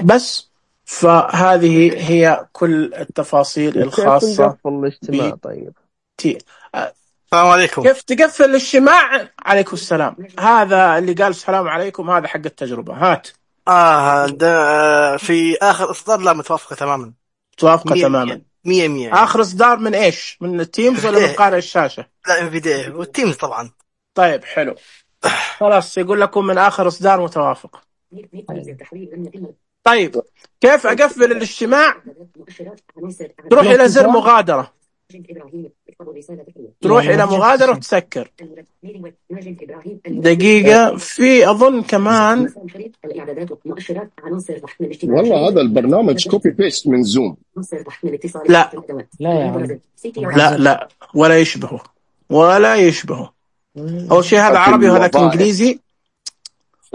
Speaker 1: بس فهذه هي كل التفاصيل الخاصة
Speaker 2: بالاجتماع. طيب
Speaker 10: السلام عليكم.
Speaker 1: كيف تقفل الاجتماع؟ عليكم السلام. هذا اللي قال السلام عليكم هذا حق التجربة. هات
Speaker 10: في آخر إصدار لا متوافقة تماما.
Speaker 1: متوافقة تماما
Speaker 10: 100%.
Speaker 1: آخر إصدار من إيش؟ من التيمز ولا من قارئ الشاشة؟
Speaker 10: لا انفيديا والتيمز طبعا.
Speaker 1: طيب حلو خلاص يقول لكم من آخر إصدار متوافق. طيب كيف أقفل الاجتماع؟ تروح إلى زر مغادرة. تروح إلى مغادرة وتسكر. دقيقة في أظن كمان
Speaker 9: والله هذا البرنامج كوبي بيست من زوم.
Speaker 1: لا
Speaker 6: لا
Speaker 1: ولا يشبهه. أول شيء هذا عربي وهذا إنجليزي.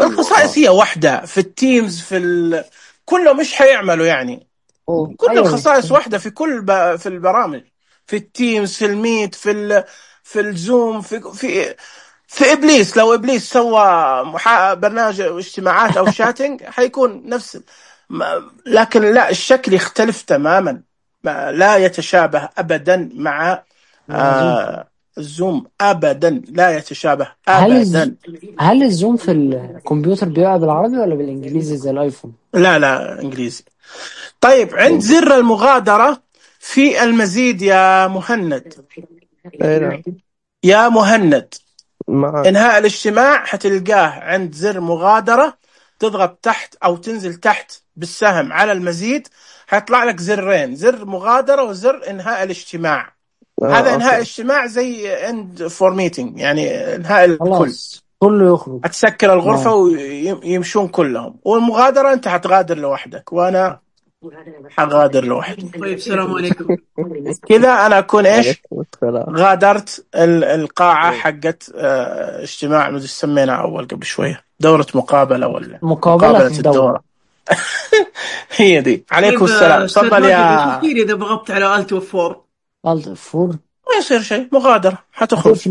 Speaker 1: الخصائص هي واحدة في التيمز كله مش حيعملوا يعني. كل الخصائص واحدة في في البرامج، في التيمز، في الميت، في الزوم، في إبليس. لو إبليس سوى برنامج اجتماعات أو شاتنج حيكون نفس لكن لا الشكل يختلف تماما. لا يتشابه أبدا مع الزوم أبدا. لا يتشابه أبدا.
Speaker 6: هل الزوم في الكمبيوتر بيبقى بالعربي ولا بالإنجليزي زي الآيفون؟
Speaker 1: لا إنجليزي. طيب عند زر المغادرة في المزيد يا مهند. يا مهند انهاء الاجتماع حتلقاه عند زر مغادرة، تضغط تحت او تنزل تحت بالسهم على المزيد، حيطلع لك زرين، زر مغادرة وزر انهاء الاجتماع. هذا انهاء الاجتماع زي end for meeting، يعني انهاء الكل،
Speaker 6: كله يخرج،
Speaker 1: هتسكر الغرفة ويمشون كلهم. والمغادرة انت حتغادر لوحدك وانا حغادر لوحدي.
Speaker 11: طيب السلام عليكم.
Speaker 1: كذا انا اكون ايش غادرت القاعة حقت اجتماع مدري سمينا اول قبل شوية دورة مقابلة ولا
Speaker 6: مقابلة
Speaker 1: الدورة. هي دي. عليكم السلام. تفضل يا
Speaker 11: كثير. اذا ضغطت على Alt F4
Speaker 1: ما يصير شيء، مغادرة حتخرج.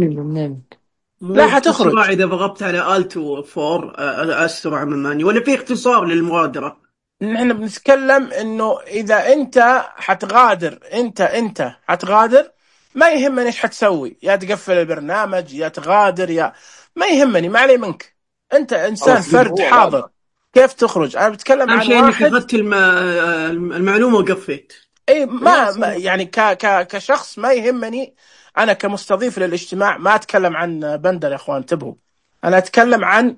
Speaker 1: لا حتخرج.
Speaker 11: إذا ضغطت على Alt F4 أسرع من الماني، ولا في اختصار للمغادرة؟
Speaker 1: نحن بنتكلم إنه إذا أنت حتغادر، أنت حتغادر، ما يهمني إيش حتسوي، يا تقفل البرنامج يا تغادر يا ما يهمني، ما علي منك، أنت إنسان فرد حاضر. كيف تخرج؟ أنا بتكلم عن واحد
Speaker 11: أخذت المعلومة وقفيت.
Speaker 1: أي ما يعني كشخص ما يهمني. أنا كمستضيف للاجتماع ما أتكلم عن بندر يا أخوان، انتبهوا، أنا أتكلم عن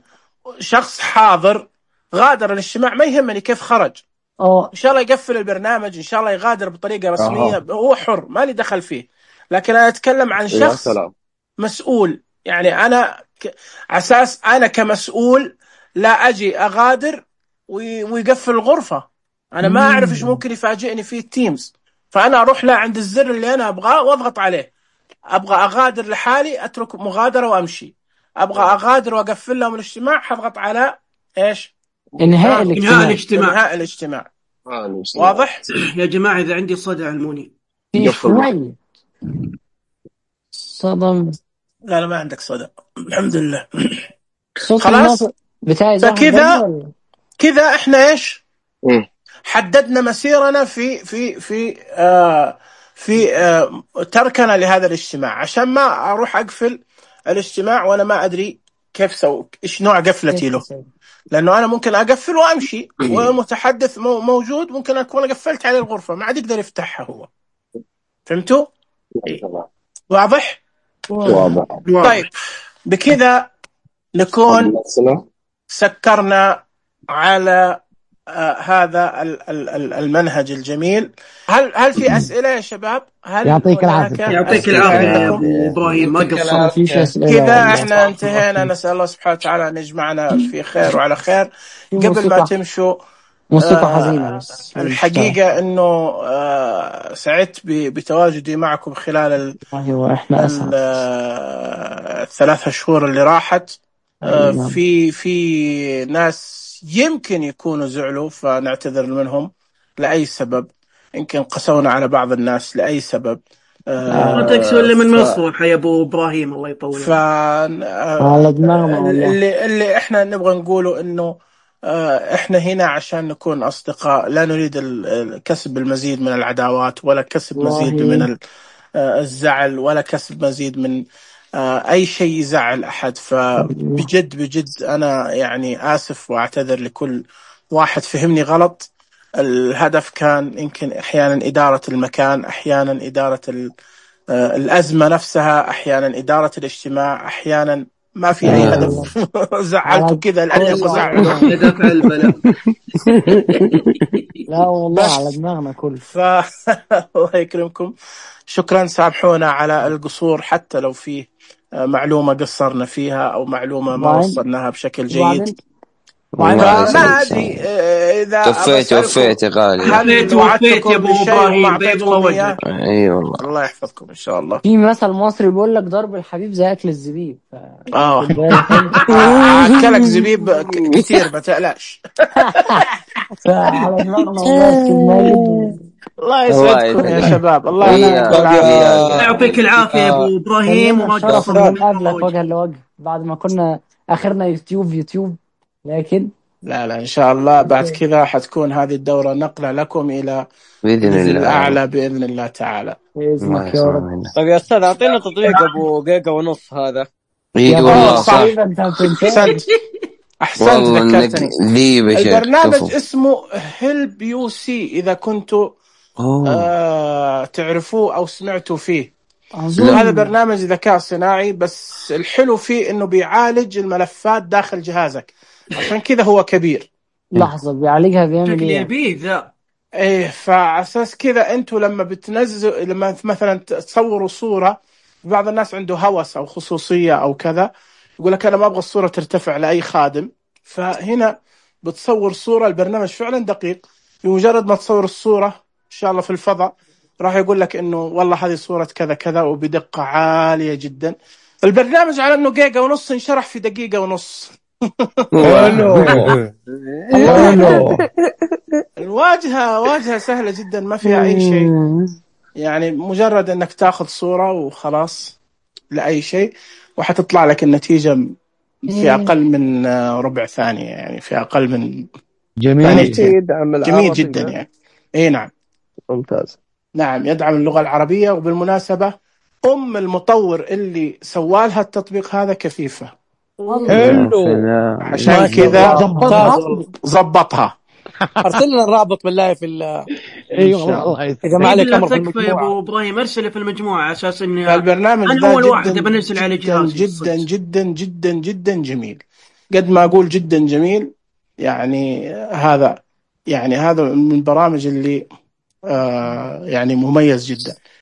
Speaker 1: شخص حاضر غادر الاجتماع، ما يهمني كيف خرج. إن شاء الله يقفل البرنامج، إن شاء الله يغادر بطريقة رسمية، هو حر، ما لي دخل فيه. لكن أنا أتكلم عن شخص مسؤول، يعني أنا أساس أنا كمسؤول لا أجي أغادر ويقفل الغرفة. أنا ما أعرف إيش ممكن يفاجئني فيه التيمز، فأنا أروح له عند الزر اللي أنا أبغاه وأضغط عليه. أبغى أغادر لحالي أترك مغادرة وأمشي، أبغى أغادر وأقفل لهم الاجتماع حضغط على إيش؟
Speaker 6: إنهاء
Speaker 1: الاجتماع. واضح؟
Speaker 11: يا جماعة إذا عندي صدى علموني.
Speaker 6: صدم.
Speaker 1: لا ما عندك صدى الحمد لله.
Speaker 6: خلاص
Speaker 1: كذا إحنا إيش؟ حددنا مسيرنا في تركنا لهذا الاجتماع، عشان ما أروح أقفل الاجتماع وأنا ما أدري كيف إيش نوع قفلتي له، لأنه أنا ممكن أقفل وأمشي والمتحدث موجود، ممكن أكون قفلت عليه الغرفة ما عاد يقدر يفتحها هو. فهمتوا؟ واضح؟ طيب بكذا نكون سكرنا على هذا المنهج الجميل. هل في أسئلة يا شباب؟
Speaker 6: يعطيك العافية.
Speaker 11: يعطيك العافية يا أبو إبراهيم، ما قصرت.
Speaker 1: كذا احنا انتهينا. نسأل الله سبحانه وتعالى أن يجمعنا في خير وعلى خير. قبل ما تمشوا
Speaker 6: موسيقى حزينة بس.
Speaker 1: الحقيقة إنه سعدت بتواجدي معكم خلال الثلاث شهور اللي راحت. في ناس يمكن يكونوا زعلوا، فنعتذر منهم لأي سبب، يمكن قسونا على بعض الناس لأي سبب.
Speaker 11: ما تكسو اللي من مصر يا أبو إبراهيم، الله يطول.
Speaker 1: اللي إحنا نبغى نقوله إنه إحنا هنا عشان نكون أصدقاء، لا نريد كسب المزيد من العداوات، ولا كسب مزيد من الزعل، ولا كسب مزيد من أي شيء يزعل أحد. فبجد أنا يعني آسف وأعتذر لكل واحد فهمني غلط. الهدف كان يمكن أحيانا إدارة المكان، أحيانا إدارة الأزمة نفسها، أحيانا إدارة الاجتماع، أحيانا ما في أي هدف. زعلتوا كذا لأني أزعل.
Speaker 6: لا والله على دماغنا كل.
Speaker 1: الله يكرمكم، شكرا. سامحونا على القصور، حتى لو فيه معلومة قصرنا فيها أو معلومة ما وصلناها بشكل جيد. ما أدري إذا
Speaker 4: وفيت يا غالي.
Speaker 1: هل وعدتكم
Speaker 11: يا أبو إبراهيم؟
Speaker 4: أي والله.
Speaker 1: الله يحفظكم إن شاء الله.
Speaker 6: في مثل مصري بيقول لك ضرب الحبيب زي أكل الزبيب.
Speaker 1: أكلك زبيب كثير ما تقلقش.
Speaker 6: على دماغنا.
Speaker 1: الله يسعدكم يا شباب. الله
Speaker 11: يعطيك العافية يا أبو إبراهيم، وما
Speaker 6: قصرنا نقابلك وجها لوجه بعد ما كنا آخرنا يوتيوب. لكن
Speaker 1: لا إن شاء الله بعد كذا حتكون هذه الدورة نقلة لكم إلى
Speaker 4: بإذن الله
Speaker 1: الأعلى بإذن الله تعالى.
Speaker 6: بإذنك يا رب.
Speaker 7: طيب يا أستاذ أعطينا تطبيق أبو جيجا ونص هذا.
Speaker 4: والله
Speaker 1: صح. أحسنت ذكرتني. البرنامج
Speaker 4: كفو.
Speaker 1: اسمه هيلب يو سي، إذا كنتوا تعرفوه أو سمعتوا فيه. هذا برنامج ذكاء صناعي، بس الحلو فيه إنه بيعالج الملفات داخل جهازك، عشان كذا هو كبير.
Speaker 6: لحظة، بيعالجها بيعمل
Speaker 11: شكل
Speaker 6: ايه؟
Speaker 11: يبيه ذا.
Speaker 1: ايه، فعساس كذا انتوا لما بتنزلوا، لما مثلا تصوروا صورة، بعض الناس عنده هوس او خصوصية او كذا، يقول لك انا ما ابغى الصورة ترتفع لاي خادم، فهنا بتصور صورة. البرنامج فعلا دقيق، بمجرد ما تصور الصورة ان شاء الله في الفضاء راح يقول لك انه والله هذه صورة كذا كذا، وبدقة عالية جدا. البرنامج على انه 1.5 جيجا ينشرح في 1.5 دقيقة. الواجهة سهلة جدا، ما فيها أي شيء، يعني مجرد أنك تأخذ صورة وخلاص لأي شيء، وحتطلع لك النتيجة في أقل من ربع ثانية، يعني في أقل من
Speaker 2: جميل
Speaker 1: جدا يعني. إيه نعم،
Speaker 2: ممتاز.
Speaker 1: نعم، يدعم اللغة العربية. وبالمناسبة المطور اللي سوالها التطبيق هذا كفيفة، عشان كذا ضبطها.
Speaker 8: ارسل لنا الرابط بالله في
Speaker 6: ايوه والله
Speaker 11: يا جماعه تكفى يا ابو ابراهيم، ارسله في المجموعه على اساس اني
Speaker 1: البرنامج
Speaker 11: انا اول واحد بنزل على جهازي.
Speaker 1: جدا جدا جدا جدا جميل، قد ما اقول جدا جميل. يعني هذا من البرامج اللي يعني مميز جدا.